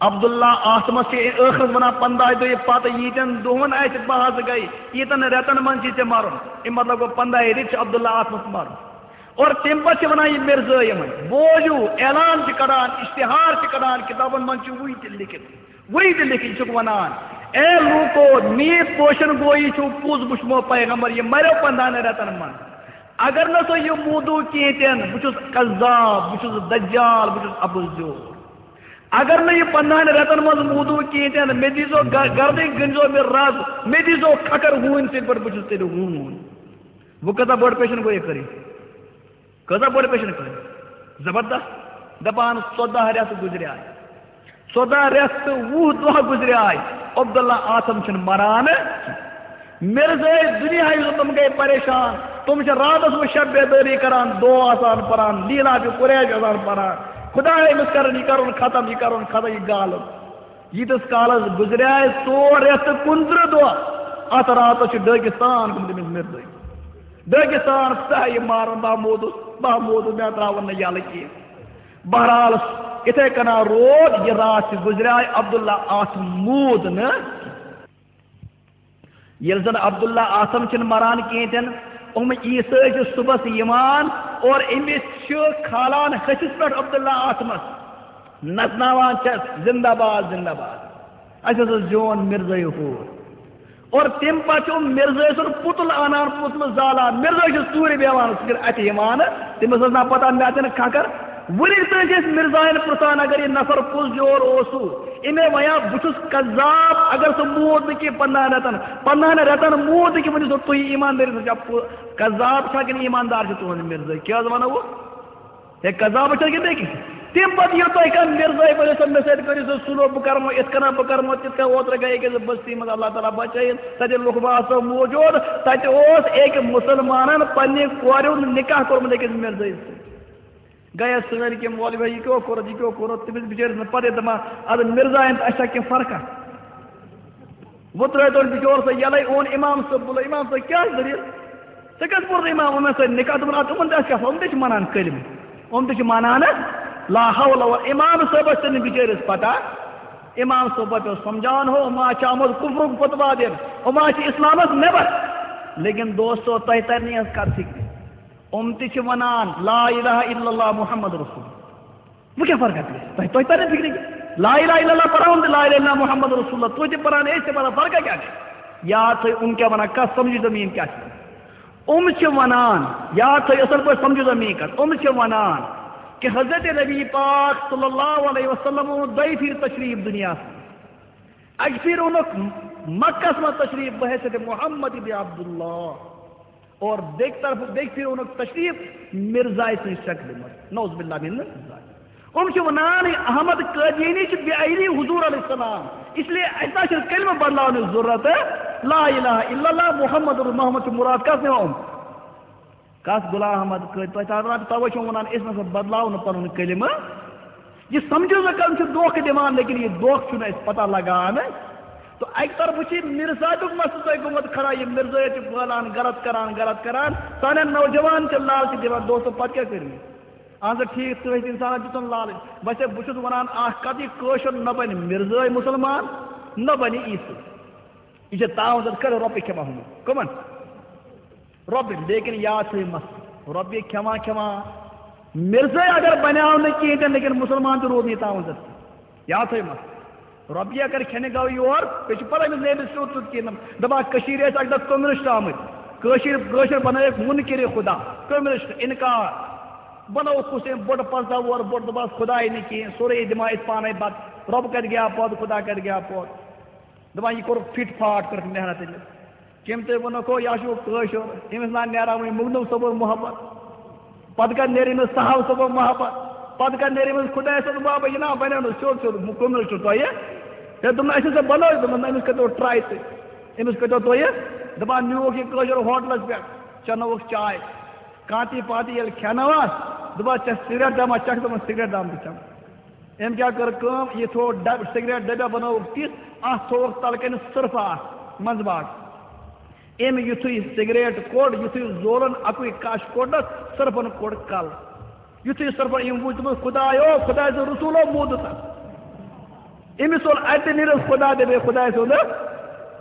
عبداللہ آتھمَس چھِ ٲخرَس وَنان، "پنٛداہہِ دۄہہِ پَتہٕ ییٖتٮ۪ن دۄہَن اَسہِ بحث گٔے، ییٖتٮ۪ن رٮ۪تَن منٛز چھِ ژےٚ مَرُن۔" اَمہِ مطلب گوٚو، پنٛداہہِ رٮ۪تۍ چھُ عبداللہ آتھمَس مَرُن۔ اور تَمہِ پَتہٕ چھِ وَنان یہِ مِرزٲے یِمَن، بوٗزِو، اعلان چھِ کَڑان، اِشتِہار چھِ کَڑان، کِتابَن منٛز چھُ وٕنہِ تہِ لیکھِتھ، وٕنہِ تہِ لیکھِتھ چھُکھ وَنان، "اے لوٗکو، میٖت پوشَن گویی چھُو پوٚز وٕچھمو پیغمبر، یہِ مَریو پنٛدہَن رٮ۪تَن منٛز۔ اگر نہٕ تُہۍ یہِ موٗدوٗ کینٛہہ تہِ نہٕ، بہٕ چھُس کذاب، بہٕ چھُس دجال، بہٕ چھُس اَپُز زیوٗر۔ اگر نہٕ یہِ پنٛدہَن رٮ۪تَن منٛز موٗدوٗ کینٛہہ تہِ نہٕ، مےٚ دیٖزیو گ-، گردٕنۍ، گٔنٛزیو مےٚ رَز، مےٚ دیٖزیو کھکھر ہوٗنۍ سٕنٛدۍ پٲٹھۍ، بہٕ چھُس تیٚلہِ ہوٗن۔" وۄنۍ کۭژاہ بٔڑ پیشن گویی کٔرٕنۍ؟ کۭژاہ بٔڑ پیشن گویی؟ زبردست۔ دَپان، ژۄداہ رٮ۪تھ گُزریٛاے، ژۄداہ رٮ۪تھ تہٕ وُہ دۄہ گُزریٛاے، عبداللہ آتھم چھُنہٕ مران۔ مِرزٲے دُنیا یُس تِم گٔے پریشان، تِم چھِ راتَس وۄنۍ شب بیدٲری کران، دُعا آسان پران، لیٖلاف قریش آسان پران، خدایا أمِس کرُن، یہِ کرُن ختم، یہِ کرُن ختم، یہِ گالُن۔ ییٖتِس کالس گُزریٛاے ژور رٮ۪تھ تہٕ کُنترٕہ دۄہ، اتھ راتس چھُ ڈٲکِستان گوٚمُت أمِس مِرزٲے۔ ڈٲکِستان، ژٕ ہا یہِ مارن، بہٕ ہا موٗدُس، بہٕ ہا موٗدُس، مےٚ ترٛاوُن نہٕ یَلہٕ کینٛہہ۔ بہرحال، یِتھَے کٔنۍ روٗد، یہِ راتھ تہِ گُزریٛاے، عبداللہ اتھ موٗد نہٕ۔ ییٚلہِ زن عبداللہ آتھم چھِنہٕ مران کینٛہہ تہِ نہٕ، یِم عیسٲے چھِ صُبحس یِوان اور أمِس چھِ کھالان ۂسِس پٮ۪ٹھ عبداللہ آتھمس، نژناوان چھِس، "زندہ باد، زندہ باد، اَسہِ ہسا زیوٗن مِرزٲے ہوٗر۔" اور تَمہِ پتہٕ چھِ یِم مِرزٲے سُنٛد پُتُل انان، پُتلہٕ زالان، مِرزٲے چھُ ژوٗرِ بیٚہوان، سُہ چھُنہٕ اَتھِ یِوان، تٔمِس ٲس نا پتہ مےٚ تہِ نہٕ کھکھر۔ وُنیُک تام چھِ أسۍ مِرزاین پرٛژھان، اگر یہِ نفر پوٚز یور اوسوٕ، أمۍ ہے وَنیٛاو، "بہٕ چھُس کذاب، اگر سُہ موٗد نہٕ کینٛہہ پنٛدہَن رٮ۪تن، پنٛدہَن رٮ۪تن موٗد نہٕ کینٛہہ، ؤنِو سا تُہۍ ایٖماندٲری سان، چھا پوٚ-، کذاب چھا کِنہٕ ایٖماندار چھُ تُہُنٛد مِرزٲے؟ کیٛاہ حظ وَنو بہٕ؟ ہے، کذاب چھا کِنہٕ بیٚیہِ کینٛہہ؟" تَمہِ پتہٕ ییٚلہِ تۄہہِ کانٛہہ مِرزٲے ؤنِو سا، "مےٚ سۭتۍ کٔرِو سا سُلوک، بہٕ کرمو یِتھ کٔنۍ، بہٕ کرمو تِتھ کٔنۍ۔" اوترٕ گٔے أکِس بستی منٛز، اللہ تعالیٰ بچٲیِن، تَتہِ لُکھ باسو موٗجوٗد، تَتہِ اوس أکۍ مُسلمانن پننہِ کورِ ہُنٛد نکاح کوٚرمُت أکِس مِرزٲے سۭتۍ۔ گٔیَس سٲنۍ کِنۍ مولوی، یہِ کیٛاہ کوٚرُتھ، یہِ کیٛاہ کوٚرُتھ؟ تٔمِس بِچٲرِس نہٕ پَتہٕ دَپان، اَدٕ مِرزایَن تہٕ اَسہِ چھا کینٛہہ فرقہ؟ وۄنۍ ترٛٲوۍ تٔمۍ بِچور سُہ یَلَے، اوٚن اِمام صٲب بُلٲو، اِمام صٲب، کیٛاہ چھِ دٔلیٖل؟ ژےٚ کیٛازِ پوٚرُتھ اِمام یِمَن سۭتۍ نِکاح؟ دوٚپُن، اَدٕ یِمَن تہِ آسہِ کیٛاہ آسان، یِم تہِ چھِ مَنان کٔلِمہٕ، یِم تہِ چھِ مَنان لا حول ولا، اِمام صٲبَس تہِ نہٕ بِچٲرِس پَتہ۔ اِمام صٲب پَتہٕ اوس سَمجھاوان، ہو، یِم ما چھِ آمُت کُفرُک فتوا دِنہٕ، یِم ما چھِ اِسلامَس نٮ۪بَر۔ لیکن دوستو، تۄہہِ تَرِ نہٕ یَتھ کَتھِ فِکرِ۔ یِم تہِ چھِ وَنان، "لا الہ الا اللہ محمد رسول اللہ۔" وۄنۍ کیٛاہ فرقہ پیٚیہِ؟ تۄہہِ، تۄہہِ تَرِ نہٕ فِکرِ کہِ لا الہ الا اللہ پَران تہِ، لا الہ الا اللہ محمد رسول اللہ، تُہۍ تہِ پَران، أسۍ تہِ پَران، فرقہ کیٛاہ گٔے؟ یاد تھٲیِو، یِم کیٛاہ وَنان، کَتھ سَمجھِو تُہۍ میٛٲنۍ کیٛاہ چھِ وَنان۔ یِم چھِ وَنان، یاد تھٲیِو اَصٕل پٲٹھۍ، سَمجھِو تُہۍ میٛٲنۍ کَتھ، یِم چھِ وَنان کہِ حضرت نبی پاک صلی اللہ علیہ وسلم اوٚن دۄیہِ پھِرِ تشریٖف دُنیاہَس منٛز۔ اَکہِ پھِرِ اوٚنُکھ مَکَس منٛز تشریٖف بحیثیت محمد ابن عبداللہ۔ اور بیٚکہِ طرفہٕ، بیٚکہِ پھِرِ اوٚنُکھ تشریٖف مِرزایہِ سٕنٛزِ شکلہِ منٛز۔ نعوذ باللہ من ذالک۔ یِم چھِ وَنان، یہِ احمد قادیانی چھُ بے عینی حضور علیہ السلام، اس لیے اَسہِ نہ چھُنہٕ کلمہٕ بدلاونٕچ ضروٗرت۔ لا الہ الا اللہ محمد، محمد چھُ مُراد۔ کَس نِوان یِم؟ کَس؟ غلام احمد قٲدی۔ تۄہہِ تَتھ وَنان، تَوَے چھُ وَنان، أسۍ نہ سا بدلاوو نہٕ پَنُن کلمہٕ۔ یہِ سَمجھِو نہٕ کانٛہہ، یِم چھِ دھوکہٕ دِوان، لیکن یہِ دھوکہٕ چھُنہٕ اَسہِ پَتہ لَگان۔ تہٕ اَکہِ طرفہٕ چھُ یہِ مِرزا تیُک مسلہٕ تۄہہِ گوٚمُت کھڑا، یہِ مِرزٲیَت چھِ پھٲلان، غلط کَران، غلط کَران۔ سانٮ۪ن نوجوان چھِ لالچہِ دِوان، دوستو، پَتہٕ کیٛاہ کٔرِو؟ اَہَن سا، ٹھیٖک، تُہۍ ٲسِو اِنسانَس دِژٕن لالٕچ۔ ویسے بہٕ چھُس وَنان اَکھ کَتھ، یہِ کٲشُر نہ بَنہِ مِرزٲے مُسلمان، نہ بنہِ عیسیٰ۔ یہِ چھِ تعاوُن زد کٔرِو رۄپیہِ کھٮ۪وان ہُمن۔ کٕمن؟ رۄپیہِ۔ لیکن یاد تھٲیِو مسلہٕ، رۄپیہِ کھٮ۪وان کھٮ۪وان مرزٲے اگر بنیٛاو نہٕ کِہیٖنۍ تہِ نہٕ، لیکن مُسلمان تہِ روٗد نہٕ یہِ تعاوُن زد۔ یاد تھٲیِو مسلہٕ۔ رۄپیہِ اگر کھٮ۪نہِ گوٚو یور، بیٚیہِ چھُ پتہ أمِس نیبرِس کیُتھ کیُتھ کِہیٖنۍ نہٕ۔ دَپان کٔشیٖرِ ٲسۍ اَکہِ دۄہ کمیونسٹ آمٕتۍ، کٲشِر، کٲشِر بنٲوِکھ مُنکِرِ خدا، کمیونسٹ، اِنکار۔ بنووُکھ کُس أمۍ بوٚڑ پنٛژاہ وُہَر بوٚڑ، دوٚپہَس خداے نہٕ کِہیٖنۍ، سورُے دِمہٕ ہا أسۍ پانَے بَتہٕ، رۄب کَتہِ گٔیٛا پٲدٕ، خدا کَتہِ گٔیٛا پٲدٕ۔ دَپان یہِ کوٚرُکھ فِٹ فاٹ، کٔرٕکھ محنت أمِس۔ کٔمۍ تۄہہِ ووٚنُکھ ہو، یہِ ہا چھُ کٲشُر، أمِس نا نیران وۄنۍ مُغنو صٲبُن محبت۔ پتہٕ کتہِ نیرِ أمِس صاحب صٲبُن محبت؟ پتہٕ کتہِ نیرِ أمِس خدایہِ سُنٛد محبت؟ یہِ نا بنیو نہٕ سیوٚد سیوٚد مُ-، کُمِل چھُ تۄہہِ۔ ہے، دوٚپُن، اَسہِ ہسا بنٲو، دوٚپُن، أمِس کٔرۍتو ٹراے تُہۍ، أمِس کٔرۍتو تُہۍ۔ دَپان نیوٗکھ یہِ کٲشُر ہوٹلس پٮ۪ٹھ، چٮ۪نٲوٕکھ چاے، کانتی پانتی ییٚلہِ کھٮ۪نٲوہَس، دوٚپہَس، "ژےٚ سگریٹ داما چکھ؟" دوٚپُن، "سگریٹ دام تہِ چٮ۪مہٕ۔" أمۍ کیٛاہ کٔر کٲم؟ یہِ تھوٚو ڈب-، سگریٹ ڈبہ بنٲوٕکھ تِژھ، اَتھ تھوٚوُکھ تَلہٕ کَنہِ سُرفہٕ اَکھ منٛزٕ باگ۔ أمۍ یُتھُے سگریٹ کوٚڑ، یُتھُے زولُن اَکُے کَش کوٚڑنَس، سُرفَن کوٚڑ کَل۔ یُتھُے سُرفَن أمۍ وُچھ، دوٚپُن، "خدایو، خداے سُنٛد رسوٗلو، موٗدُس ہا۔" أمِس اوٚن اَتہِ نیٖرِتھ خدا دَپے خداے سُنٛد۔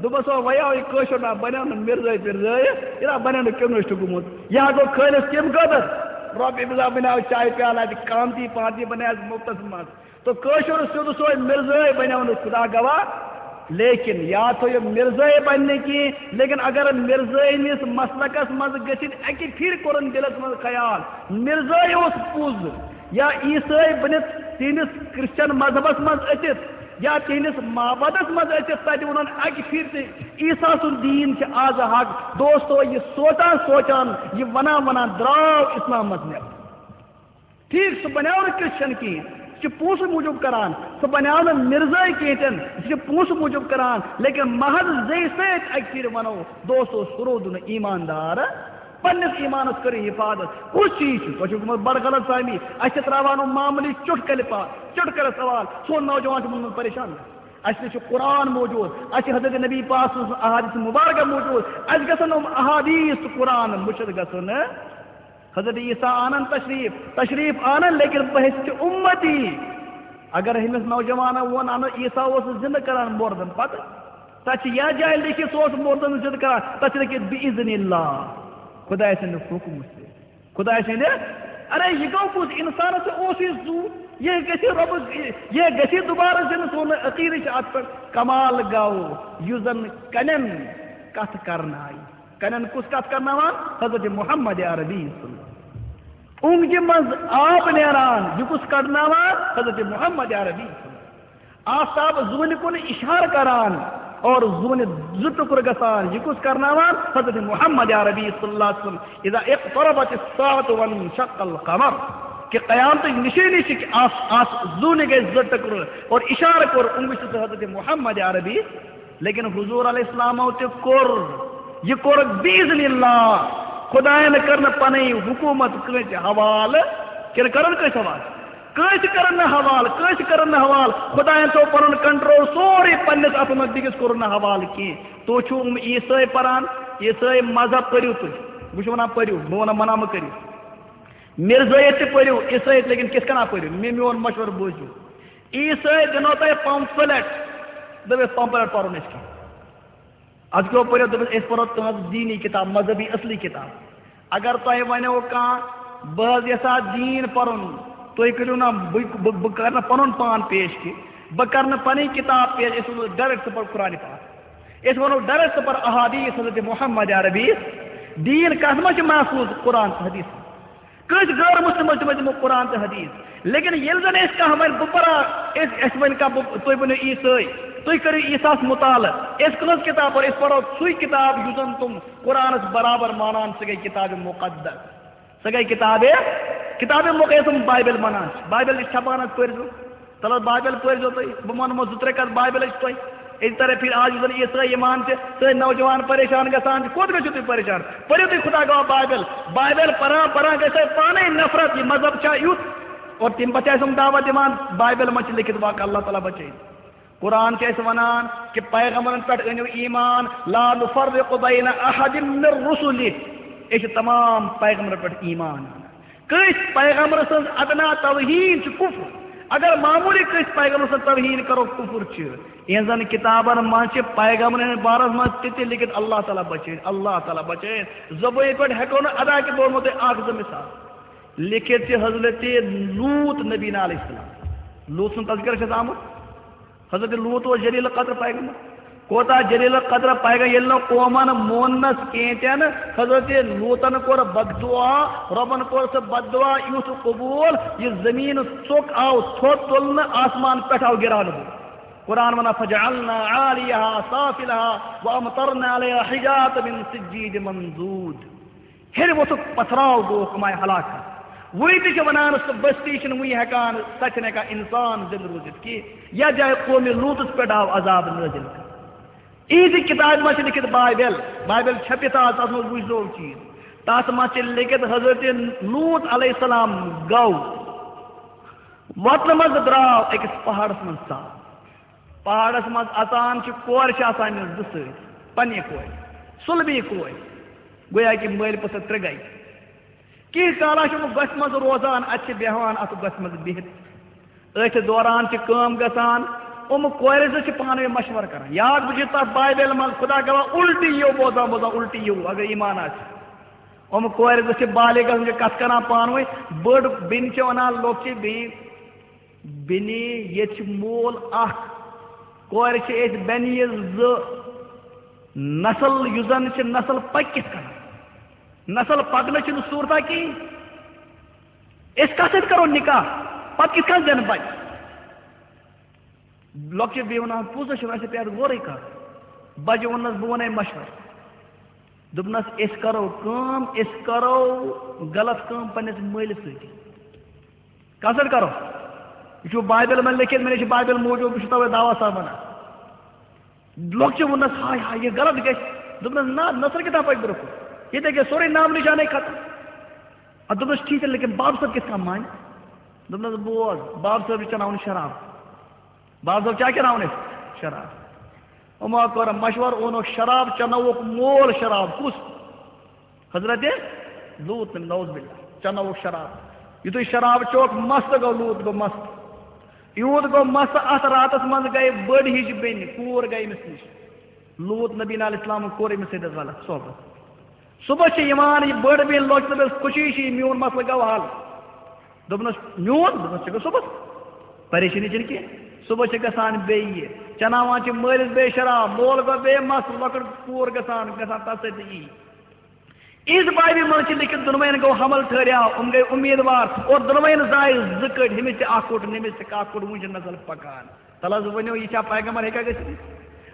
دوٚپمَس، "او وَیاو، یہِ کٲشُر نا بَنیو نہٕ مِرزٲے پِرزٲے، یہِ نا بَنیو نہٕ کمیونسٹ گوٚمُت۔ یہِ ہا گوٚو خٲلِص کَمہِ خٲطرٕ؟ رۄپیہِ بِزا بَنیو چایہِ پیالہٕ اَتہِ، کانتی پانتی بَنیوس مُفتَس منٛز۔" تو کٲشُر سیوٚد سوے مِرزٲے بنیو نہٕ خدا گواہ، لیکن یاد تھٲیِو، مِرزٲے بنہِ نہٕ کینٛہہ، لیکن اگر مِرزٲے نِس مسلکس منٛز گٔژھِتھ اَکہِ پھِرِ کوٚرُن دِلس منٛز خیال، مِرزٲے اوس پوٚز، یا عیسٲے بٔنِتھ تِہنٛدِس کرسچن مذہبس منٛز أژِتھ، یا تِہنٛدِس معبدس منٛز أژِتھ، تتہِ ووٚنُن اَکہِ پھِرِ تہِ، عیسیٰ سُنٛد دیٖن چھِ آز حق۔ دوستو، یہِ سونٛچان سونٛچان، یہِ ونان ونان درٛاو اسلامس نٮ۪بر۔ ٹھیک، سُہ بنیو نہٕ کرسچن کِہیٖنۍ، سُہ چھُ پونٛسہٕ موٗجوٗب کران، سُہ بنیو نہٕ مِرزٲے کِہیٖنۍ تہِ نہٕ، سُہ چھُ پونٛسہٕ موٗجوٗب کران، لیکن محض زیٚیہِ سۭتۍ اَکہِ پھِرِ وَنو، دوستو، سُہ روٗد نہٕ ایٖماندار، پننِس ایٖمانس کٔرِو حفاظت۔ کُس چیٖز چھُ؟ تۄہہِ چھُو گوٚمُت بڑٕ غلط فہمی، اَسہِ چھِ ترٛاوان یِم معموٗلی چُٹکلہِ پا-، چُٹکلہِ سوال، سون نوجوان چھُ ووٚنمُت پریشان۔ اَسہِ نِش چھُ قرآن موجوٗد، اَسہِ چھِ حضرت نبی پاک سٕنٛز احادیث مبارکہ موجوٗد، اَسہِ گژھن یِم احادیث تہٕ قرآن مٔشِتھ گژھُن۔ حضرت عیسیٰ آنن تشریف، تشریف آنن، لیکن بہشت امتی۔ اگر ہمس نوجوانن وون، انو عیسیٰ اوس زندہ کران مردن، پتہٕ تتھ چھِ یا جایہِ لیکھِتھ سُہ اوس مردن زندہ کران، تتھ چھِ لیکھِتھ باذن اللہ، خدایہِ سٕنٛدِ حکمہٕ سۭتۍ، خدایہِ سٕنٛدِ۔ ارے، یہِ گوٚو کُس؟ انسانس تہِ اوس یہِ زُو، یہِ گژھِ رۄبس، یہِ گژھِ دوبارٕ زندہ، سون عقیدٕ چھُ اتھ پٮ۪ٹھ۔ کمال گوٚو، یُس زن کنٮ۪ن کتھ کرنایہِ۔ کنن کُس کتھ کرناوان؟ حضرت محمد عربی صلی اللہ علیہ وسلم۔ اونگجہِ منٛز آب نیران، یہِ کُس کڑناوان؟ حضرت محمد عربی صلی اللہ علیہ وسلم۔ آفتاب زوٗنہِ کُن اشارٕ کران اور زوٗنہِ زٕ ٹُکرٕ گژھان، یہِ کُس کرناوان؟ حضرت محمد عربی صلی اللہ علیہ وسلم۔ اذا اقتربت الساعة وانشق القمر، کہ قیامتٕچ نشٲنی چھِ کہ آس-، آس-، زوٗنہِ گژھِ زٕ ٹُکرٕ اور اشارٕ کوٚر اونگجہِ سۭتۍ حضرت محمد عربی۔ لیکن حضور علیہ السلامو تہِ کوٚر، یہِ کوٚرُکھ باذن اللہ۔ خدایَن کٔر نہٕ پنٕنۍ حکوٗمت کٲنٛسہِ حوالہٕ، کِنہٕ کٔرٕن کٲنٛسہِ حوالہٕ؟ کٲنٛسہِ کٔرٕن نہٕ حوالہٕ، کٲنٛسہِ کٔرٕن نہٕ حوالہٕ۔ خدایَن تھوٚو پنُن کنٹرول سورُے پننِس اَتھٕ منٛز، بیٚکِس کوٚرُن نہٕ حوالہٕ کینٛہہ۔ تُہۍ چھِو یِم عیسٲے پَران، عیسٲے مذہب پٔرِو تُہۍ۔ بہٕ چھُس وَنان پٔرِو، بہٕ وَنان منع مہٕ کٔرِو۔ مِرزٲیِتھ تہِ پٔرِو، عیسٲیِتھ، لیکن کِتھ کٔنۍ پٔرِو؟ مےٚ میون مشورٕ بوٗزِو۔ عیسٲے دِنو تۄہہِ پمفلٹ، دٔپِتھ پمفلٹ پرو نہٕ أسۍ کینٛہہ۔ از کیٛاہ پٔرِو؟ دوٚپُس، أسۍ پرو تُہنٛز دینی کتاب، مذہبی اصلی کتاب۔ اگر تۄہہِ ونیو کانٛہہ، بہٕ حظ یژھا دین پرُن، تُہۍ کٔرِو نہ، بہٕ، بہٕ، بہٕ کرٕ نہٕ پنُن پان پیش کینٛہہ، بہٕ کرٕ نہٕ پنٕنۍ کتاب پیش، أسۍ ونو direct ژٕ پر قرآن پاک، أسۍ ونو direct ژٕ پر احادیث حضرت محمد عربی۔ دین کتھ منٛز چھُ محفوظ؟ قرآن تہٕ حدیث۔ کٲنٛسہِ غٲر مسلمس تہِ منٛز دِمو قرآن تہٕ حدیث۔ لیکن ییٚلہِ زن أسۍ کانٛہہ ونہِ، بہٕ پرا، أسۍ، اَسہِ ونہِ کانٛہہ، بہٕ، تُہۍ ؤنِو عیسٲے، تُہۍ کٔرِو عیساہس مطالعہٕ، أسۍ کٕہٕنٛز کِتاب پرو؟ أسۍ پرو سُے کِتاب یُس زن تِم قرآنس برابر مانان، سۄ گٔے کتاب مقدس، سۄ گٔے کتاب، کتاب مقدس یۄس تِم بایبل ونان چھِ۔ بایبل چھِ چھپان حظ، پٔرۍزیو۔ تَلہٕ حظ بایبل پٔرۍزیو تُہۍ، بہٕ وَنہٕ یِمو زٕ ترٛےٚ کَتھ بایبلٕچ تۄہہِ۔ أسۍ طرف پھِرِ آز یُس زَن عیسٲے یِوان چھِ، سٲنۍ نوجوان پریشان گژھان چھِ، کوٚت گٔژھِو تُہۍ پریشان؟ پٔرِو تُہۍ خدا گواہ بایبل۔ بایبل پَران پَران گژھِ تۄہہِ پانَے نفرت، یہِ مذہب چھا یُتھ؟ اور تَمہِ پَتہٕ چھِ اَسہِ یِم دعوت دِوان، بایبل منٛز چھِ لیکھِتھ واقعہ، اللہ تعالیٰ بچٲیِن۔ قرآن چھُ اَسہِ وَنان کہِ پیغمبرن پٮ۪ٹھ أنِو ایمان، لا نفرق بین احد من رسلہ۔ أسۍ چھِ تمام پیغمبرن پٮ۪ٹھ ایمان اَنان۔ کٲنٛسہِ پیغمبر سٕنٛز ادنا توہین چھِ کفر۔ اگر معموٗلی کٲنٛسہِ پیغمبر سٕنٛز توہین کرو، کفر چھُ۔ یِہنٛزن کتابن منٛز چھِ پیغمبرن ہٕنٛدِ بارس منٛز تہِ تہِ لیکھِتھ، اللہ تعالیٰ بچٲوِن، اللہ تعالیٰ بچٲوِن۔ زبٲنۍ پٮ۪ٹھ ہٮ۪کو نہٕ ادا کٔرِتھ، بہٕ وَنمو تۄہہِ اکھ زٕ مثال۔ لیکھِتھ چھِ حضرت لوط نبی علیہ السلام، لوط سُنٛد تذکرہ چھُ اَتھ آمُت۔ حضرت لوط اوس جلیل القدر پیغمبر۔ کوتاہ جلیل القدر پیغمبر، ییٚلہِ نہٕ قومن موننس کینٛہہ تہِ نہٕ، حضرت لوطن کوٚر بددعا، رۄبن کوٚر سُہ بددعا یُتھ قبول، یہِ زٔمیٖن ژوٚک آو تھوٚد تُلنہٕ، آسمان پٮ۪ٹھ آو گِراونہٕ۔ قرآن ونان، "فجعلنا عاليها سافلها وأمطرنا عليها حجارة من سجيل منضود۔" ہیٚرِ ووٚتھُکھ پتھراو گوٚو، کمایہِ ہلاک۔ وُنہِ تہِ چھِ ونان، سُہ بستی چھِنہٕ وُنہِ ہٮ۪کان، سۄ چھِنہٕ ہٮ۪کان انسان زندٕ روٗزِتھ کینٛہہ۔ یتھ جایہِ قومِ لوطس پٮ۪ٹھ آو عذاب نٲزِل کرنہٕ۔ یِہنٛزِ کتابہِ منٛز چھِ لیکھِتھ بایبل، بایبل چھپِتھ آز، تتھ منٛز وٕچھزیو چیٖز۔ تتھ منٛز چھِ لیکھِتھ حضرت لوط علیہ السلام گوٚو وتنہٕ منٛز درٛاو أکِس پہاڑس منٛز ژاو۔ پہاڑس منٛز اژان چھِ، کورِ چھِ آسان أمِس زٕ سۭتۍ، پننہِ کورِ، سُلبی کورِ، گویا کہِ مٲلۍ پٔژھٕر ترٛےٚ گٔے۔ کینٛہہ کالا چھُ یِم گۄپھِ منٛز روزان، اتہِ چھِ بیٚہوان اتھ گۄپھِ منٛز بِہِتھ۔ أتھۍ دوران چھِ کٲم گژھان، یِم کورِ زٕ چھِ پانہٕ ؤنۍ مشورٕ کران۔ یاد بوٗزِو تتھ بایبلہِ منٛز، خدا گواہ، الٹی یِیو بوزان بوزان، الٹی یِیو، اگر ایمان آسہِ۔ یِم کورِ زٕ چھِ بالغ گژھان، چھِ کتھ کران پانہٕ ؤنۍ۔ بٔڑ بیٚنہِ چھِ ونان لۄکچہِ بیٚنہِ، "بیٚنہِ، ییٚتہِ چھِ مول اکھ، کورِ چھِ أسۍ بیٚنہِ زٕ، نسل یُس زن چھِ، نسل پکہِ کِتھ کٔنۍ؟ نسل پکنہٕ چھُنہٕ صوٗرتا کِہیٖنۍ۔ أسۍ کتھ سۭتۍ کرو نکاح؟ پتہٕ کِتھ کٔنۍ زینہٕ بچہِ؟" لۄکچہِ بیٚنہِ ونان، "پوٚز ہا چھُ، اَسہِ پیٚیہِ اَتھ غورٕے کَرُن۔" بَجہِ ووٚننَس، "بہٕ وَنَے مَشوَرٕ۔" دوٚپنَس، "أسۍ کَرو کٲم، أسۍ کَرو غلط کٲم پنٛنِس مٲلِس سۭتۍ۔" کَتھ سۭتۍ کَرو؟ یہِ چھُ بایبلہِ منٛز لیٚکھِتھ، مےٚ نِش چھِ بایبل موٗجوٗد، بہٕ چھُس تَوَے دعوا سان وَنان۔ لۄکچہِ ووٚننَس، "ہاے ہاے، یہِ غلط گژھِ۔" دوٚپنَس، "نہ، نہ سا کِتاب پَکہِ برٛونٛہہ کُن۔ ییٚتہِ گژھِ سورُے نام نِشانَے ختم۔" اَدٕ دوٚپنَس، "ٹھیٖک چھُ، لیکِن باب صٲب کِتھ کٔنۍ مانہِ؟" دوٚپنَس، "بوز، باب صٲب چھُ چَناوُن شراب۔" باب صٲب کیٛاہ کَران أسۍ؟ شراب۔ یِمو کوٚر مشورٕ، اوٚنُکھ شراب، چنووُکھ مول شراب۔ کُس؟ حضرت لوط، نعوذ باللہ، چنووُکھ شراب۔ یُتھُے شراب چوکھ، مست گوٚو لوط، گوٚو مست۔ یوٗت گوٚو مست، اَتھ راتَس منٛز گٔے بٔڑ ہِش بیٚنہِ، کوٗر گٔے أمِس نِش۔ لوط نبی علیہ السلامَن کوٚر أمِس سۭتۍ غلط صحبت۔ صبح چھِ یِوان یہِ بٔڑ بیٚنہِ لۄکٹہِ، دوٚپنَس، "خوشی چھِ، یہِ میون مسلہٕ گوٚو حل۔" دوٚپنَس، "میون؟" دوٚپنَس، "ژےٚ گوٚو صُبحَس؟ پریشٲنی چھَنہٕ کینٛہہ۔ صُبحَس چھِ گژھان بیٚیہِ یہِ۔ چَناوان چھِ مٲلِس بیٚیہِ شراب، مول گوٚو بیٚیہِ مَس، لۄکٕٹ کوٗر گژھان، گژھان تَتھ سۭتۍ تہٕ یی۔" عیٖد بابہِ منٛز چھِ لیٚکھِتھ، دۄنوَیَن گوٚو حمل ٹھٔہرِیاو، یِم گٔے اُمیٖدوار، اور دۄنوَیَن زایہِ زٕ کٔٹۍ، ہُمِس تہِ اَکھ کوٚٹ، ہُمِس تہِ اَکھ کوٚٹ، وٕنہِ چھِ نسل پَکان۔ تَلہٕ حظ ؤنِو، یہِ چھا پیغمبر، ہیٚکیٛاہ گٔژھِتھ؟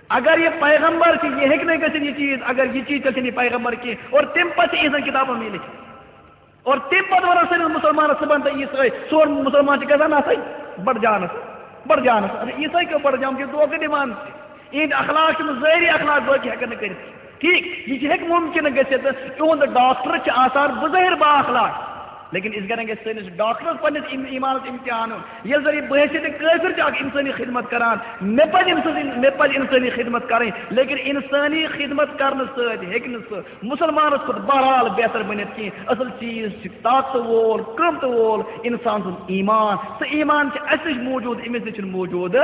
اگر یہِ پیغمبر چھِ، یہِ ہیٚکہِ نہٕ گٔژھِتھ یہِ چیٖز، اگر یہِ چیٖز، تیٚلہِ چھِنہٕ یہِ پیغمبر کینٛہہ۔ اور تَمہِ پَتہٕ چھِ یِہٕنٛزَن کِتابَن منٛز یہِ لیٚکھِتھ۔ اور تَمہِ پَتہٕ وَنان سٲنِس مُسلمانَس، صُبحن تہٕ عیٖسٲے، سون مُسلمان چھِ گژھان نہ سا بَڑٕ جانَس، بَڑٕ جانَس۔ اَدٕ عیٖسٲے کیٛاہ بَڑٕ جان چھِ، دھوکہٕ دِوان چھِ۔ یِہِنٛدۍ اخلاق چھِنہٕ ظٲہری اخلاق، باقٕے ہٮ۪کَن نہٕ کٔرِتھ۔ ٹھیٖک، یہِ چھِ، ہیٚکہِ مُمکِن گٔژھِتھ، یِہُنٛد ڈاکٹر چھِ آسان بظٲہِر با اخلاق، لیکن أسۍ گژھِ سٲنِس ڈاکٹرس پننِس ایم-، ایمانس امتحان ہیوٚن۔ ییٚلہِ زن یہِ بحیثیت کٲفر چھُ اکھ انسٲنی خدمت کران، مےٚ پزِ أمۍ سٕنٛز، مےٚ پزِ انسٲنی خدمت کرٕنۍ، لیکن انسٲنی خدمت کرنہٕ سۭتۍ ہیٚکہِ نہٕ سُہ مسلمانس کھۄتہٕ بہرحال بہتر بٔنِتھ کینٛہہ۔ اصل چیٖز چھُ طاقتہٕ وول، قۭمتہٕ وول انسان سُنٛد ایمان۔ سُہ ایمان چھُ اسہِ نِش موٗجوٗد، أمِس نِش چھُنہٕ موٗجوٗد۔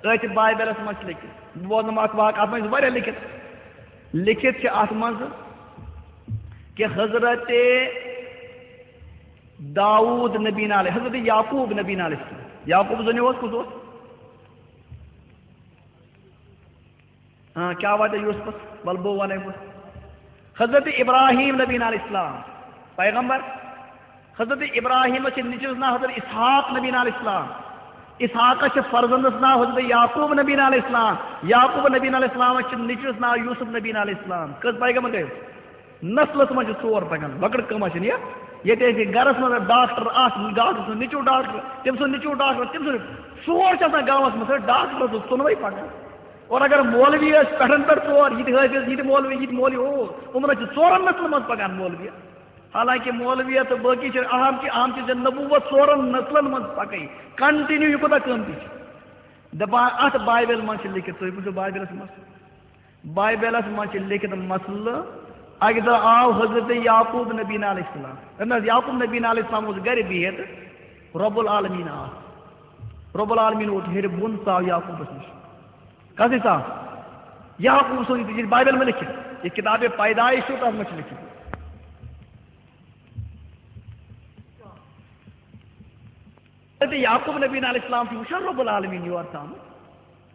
أتھۍ بایبلس منٛز چھُ لیٚکھِتھ، بہٕ بوزناوٕ اکھ واقعہٕ، اتھ منٛز چھِ واریاہ لیٚکھِتھ۔ لیٚکھِتھ چھِ اتھ منٛز کہ حضرت داؤد نبی علیہ، حضرت یعقوب نبی علیہ السلام۔ یعقوب زنیو اوس، کُس اوس؟ ہاں، کیا واتہِ یوسفس؟ ول بہٕ ونے بہٕ۔ حضرت ابراہیم نبی علیہ السلام، پیغمبر۔ حضرت ابراہیم چھِ نیٚچوِس ناو حضرت اسحاق نبی علیہ السلام۔ اسحاقس چھِ فرزندس ناو حضرت یعقوب نبی علیہ السلام۔ یعقوب نبی علیہ السلام چھِ نیٚچوِس ناو یوسف نبی علیہ السلام۔ کٔژ پیغمبر گٔے؟ نسلس منٛز چھِ ژور پکان، لۄکٕٹ کٲم چھِنہٕ یہِ۔ ییٚتہِ ٲسۍ یہِ گرس منٛز ڈاکٹر اکھ، ڈاکٹر سُنٛد نیٚچوٗ ڈاکٹر، تٔمۍ سُنٛد نیٚچوٗ ڈاکٹر، تٔمۍ سُنٛد ژور چھِ آسان گامس منٛز، سُہ ڈاکٹر سُنٛد ژۄنوَے پکان۔ اور اگر مولوی ٲسۍ پٮ۪ٹھن پٮ۪ٹھ ژور، یہِ تہِ حٲفظ، یہِ تہِ مولوی، یہِ تہِ مولوی، او، یِمن حظ چھِ ژورن نسلن منٛز پکان مولوی۔ حالانکہ مولوی تہٕ باقی چھِ اہم چھِ، اہم چھِ زِ نبوت ژورن نسلن منٛز پکٕنۍ، کنٹینیو، یہِ کوٗتاہ قۭمتی چھُ۔ دپان اتھ بایبل منٛز چھِ لیٚکھِتھ، تُہۍ وٕچھِو بایبلس منٛز۔ بایبلس منٛز چھِ لیٚکھِتھ مسلہٕ، اکہِ دۄہ آو حضرت یعقوب نبی علیہ السلام۔ نہ حظ، یعقوب نبی علیہ السلام اوس گرِ بِہِتھ، رب العالمین آو۔ رب العالمین ووت ہیٚرِ بۄن، ژاو یعقوبس نِش۔ کس نِش ژاو؟ یعقوب سُنٛد، یہِ چھِ بایبل منٛز لیٚکھِتھ، یہِ کِتابِ پیدایش چھُ، تتھ منٛز چھُ لیٚکھِتھ۔ تہٕ یعقوب نبی علیہ السلام چھُ وٕچھان رب العالمین یور ژامُت۔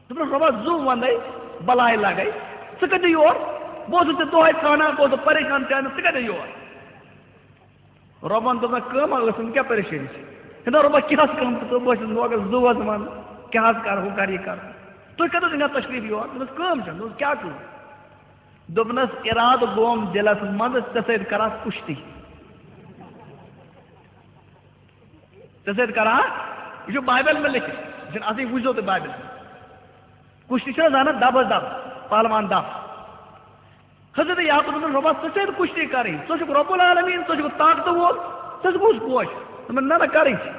دوٚپنَس، "رۄبا، زُو وَندَے، بَلاے لَگَے، ژٕ کَتہِ یور؟ بہٕ اوسُس ژےٚ دۄہَے ژھانٛڈان، بہٕ اوسُس پریشان ژےٚ اَننَس، ژٕ کَتہِ یور؟" رۄبَن دوٚپنَس، "کٲمہ ٲسٕم، کیٛاہ پریشٲنی چھِ؟ ہے نہ رۄبا، کیٛاہ حظ کٲم تہٕ ژٕ، بہٕ اوسُس لوگَس زُوَس وَنُن، کیٛاہ حظ کَرٕ، ہُہ کَرٕ، یہِ کَرٕ۔ تُہۍ کَتہِ حظ أنِو تشریٖف یور؟" دوٚپنَس، "کٲم چھَنہٕ۔" دوٚپنَس، "کیٛاہ کٲم؟" دوٚپنَس، "اِرادٕ گوم دِلَس منٛز، ژےٚ سۭتۍ کَرٕ ہا کُشتی۔" ژےٚ سۭتۍ کران، یہِ چھُ بایبل منٛز لیٚکھِتھ، یہِ چھُنہٕ اَصلی، وٕچھزیو تُہۍ بایبل منٛز۔ کُشتی چھِنہ زانان دَبَس دَب، پہلوان دَب۔ حضرت یعقوب دوٚپُن، "رۄبا، ژٕ چھَکھ کُشتی کَرٕنۍ، ژٕ چھُکھ رب العالمین، ژٕ چھُکھ طاقتہٕ وول، ژٕ چھُکھ کُس کوش؟" دوٚپُن، "نہ، نہ، کَرٕنۍ چھِ۔"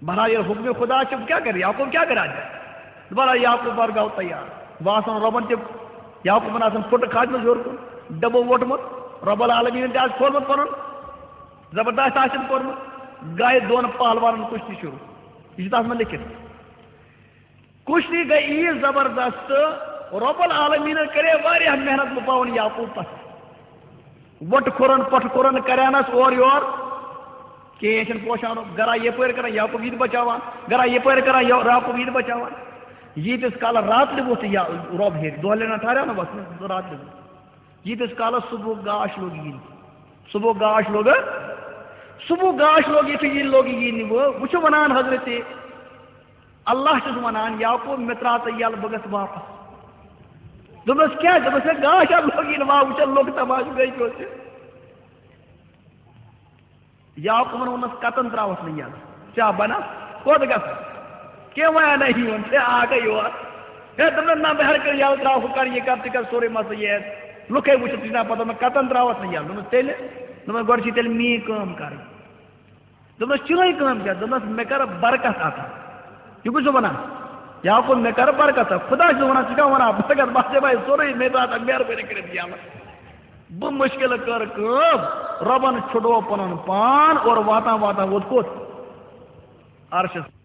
بہرحال، ییٚلہِ حُکمِ خدا چھُ، کیٛاہ کَرِ یعقوب، کیٛاہ کَرِ اَتہِ؟ بہرحال، یعقوب برگاو تیار۔ بہٕ آسان رۄبَن تہِ، یعقوبَن آسان پھُٹہٕ کھاجمٕژ ہیوٚر کُن، ڈَبہٕ ووٚٹمُت، رب العالمیٖنَن تہِ آسہِ کھولمُت پَنُن زبردست آسن کوٚرمُت، گٔے دۄن پہلوانن کُشتی شروع۔ یہِ چھُ تَتھ منٛز لیٚکھِتھ۔ کُشتی گٔے ییٖژ زبردست، رب العالمیٖنن کرے واریاہ محنت، بہٕ پاوُن یعقوب پتھ۔ وۄٹہٕ کھُرن، پۄٹھٕ کھُرن کرینس اورٕ یور، کینٛہہ چھِنہٕ پوشان، گرا یپٲرۍ کران، یعقوب یہِ تہِ بچاوان، گرا یپٲرۍ کران، یعقوب یہِ تہِ بچاوان۔ ییٖتِس کالس راتہٕ لیوٚکھ تہٕ یا رب ہیٚرِ، دۄہلہِ نہ ٹھہران نہ وۄتھنس، راتہٕ لیوٚکھ۔ ییٖتِس کالس صبحُک گاش لوٚگ یِنۍ، صبحُک گاش لوٚگ، صبحُک گاش لوٚگ، یُتھُے یہِ لوٚگ یِنہِ، وۄنۍ، وۄنۍ چھُ وَنان حضرت اللہ چھُس وَنان، "یعقوب، مےٚ ترٛاو ژٕ یَلہٕ، بہٕ گژھٕ واپس۔" دوٚپنَس، "کیٛاہ؟" دوٚپنَس، "ہے، گاش ہا لوٚگ یِنہِ، وۄنۍ وٕچھو لوٚگ تماشہٕ گٔے کیٛاہ چھِ۔" یعقوبن ووٚننس، "کتن تراوتھ نہٕ یَلہٕ؟ ژےٚ بنہ کوٚت گژھن؟ کینٛہہ وۄنۍ انے یون، ژےٚ آکھے یور۔ ہے، دوٚپنس، نہ، بہٕ ہر کر یَلہٕ تراو، ہُہ کر، یہِ کر، تہِ کر، سورُے مسلہٕ یہِ آسہِ۔ لُکے وٕچھِتھ، ژٕ چھُکھ نہ پتہ مےٚ کتن تراوتھ نہٕ یَلہٕ۔" دوٚپمس، "تیٚلہِ؟" دوٚپمس، "گۄڈٕ چھِ تیٚلہِ میٛٲنۍ کٲم کرٕنۍ۔" دوٚپمس، "چٲنۍ کٲم کیٛاہ؟" دوٚپمس، "مےٚ کر برکت عطا۔" یہِ کُس چھُ ونان؟ یعقوب، "مےٚ کر برکت عطا؟" خدا چھُ ونان، ژٕ کیٛاہ ونان برکت؟ بہٕ ہسا بھائی سورُے مےٚ ترٛاو تہٕ مہربٲنی کٔرِتھ یَلہٕ۔ بہٕ مُشکِل کٔر کٲم، رۄبن چھُڈو پنُن پان اور واتان واتان ووت کوٚت؟ عرشس۔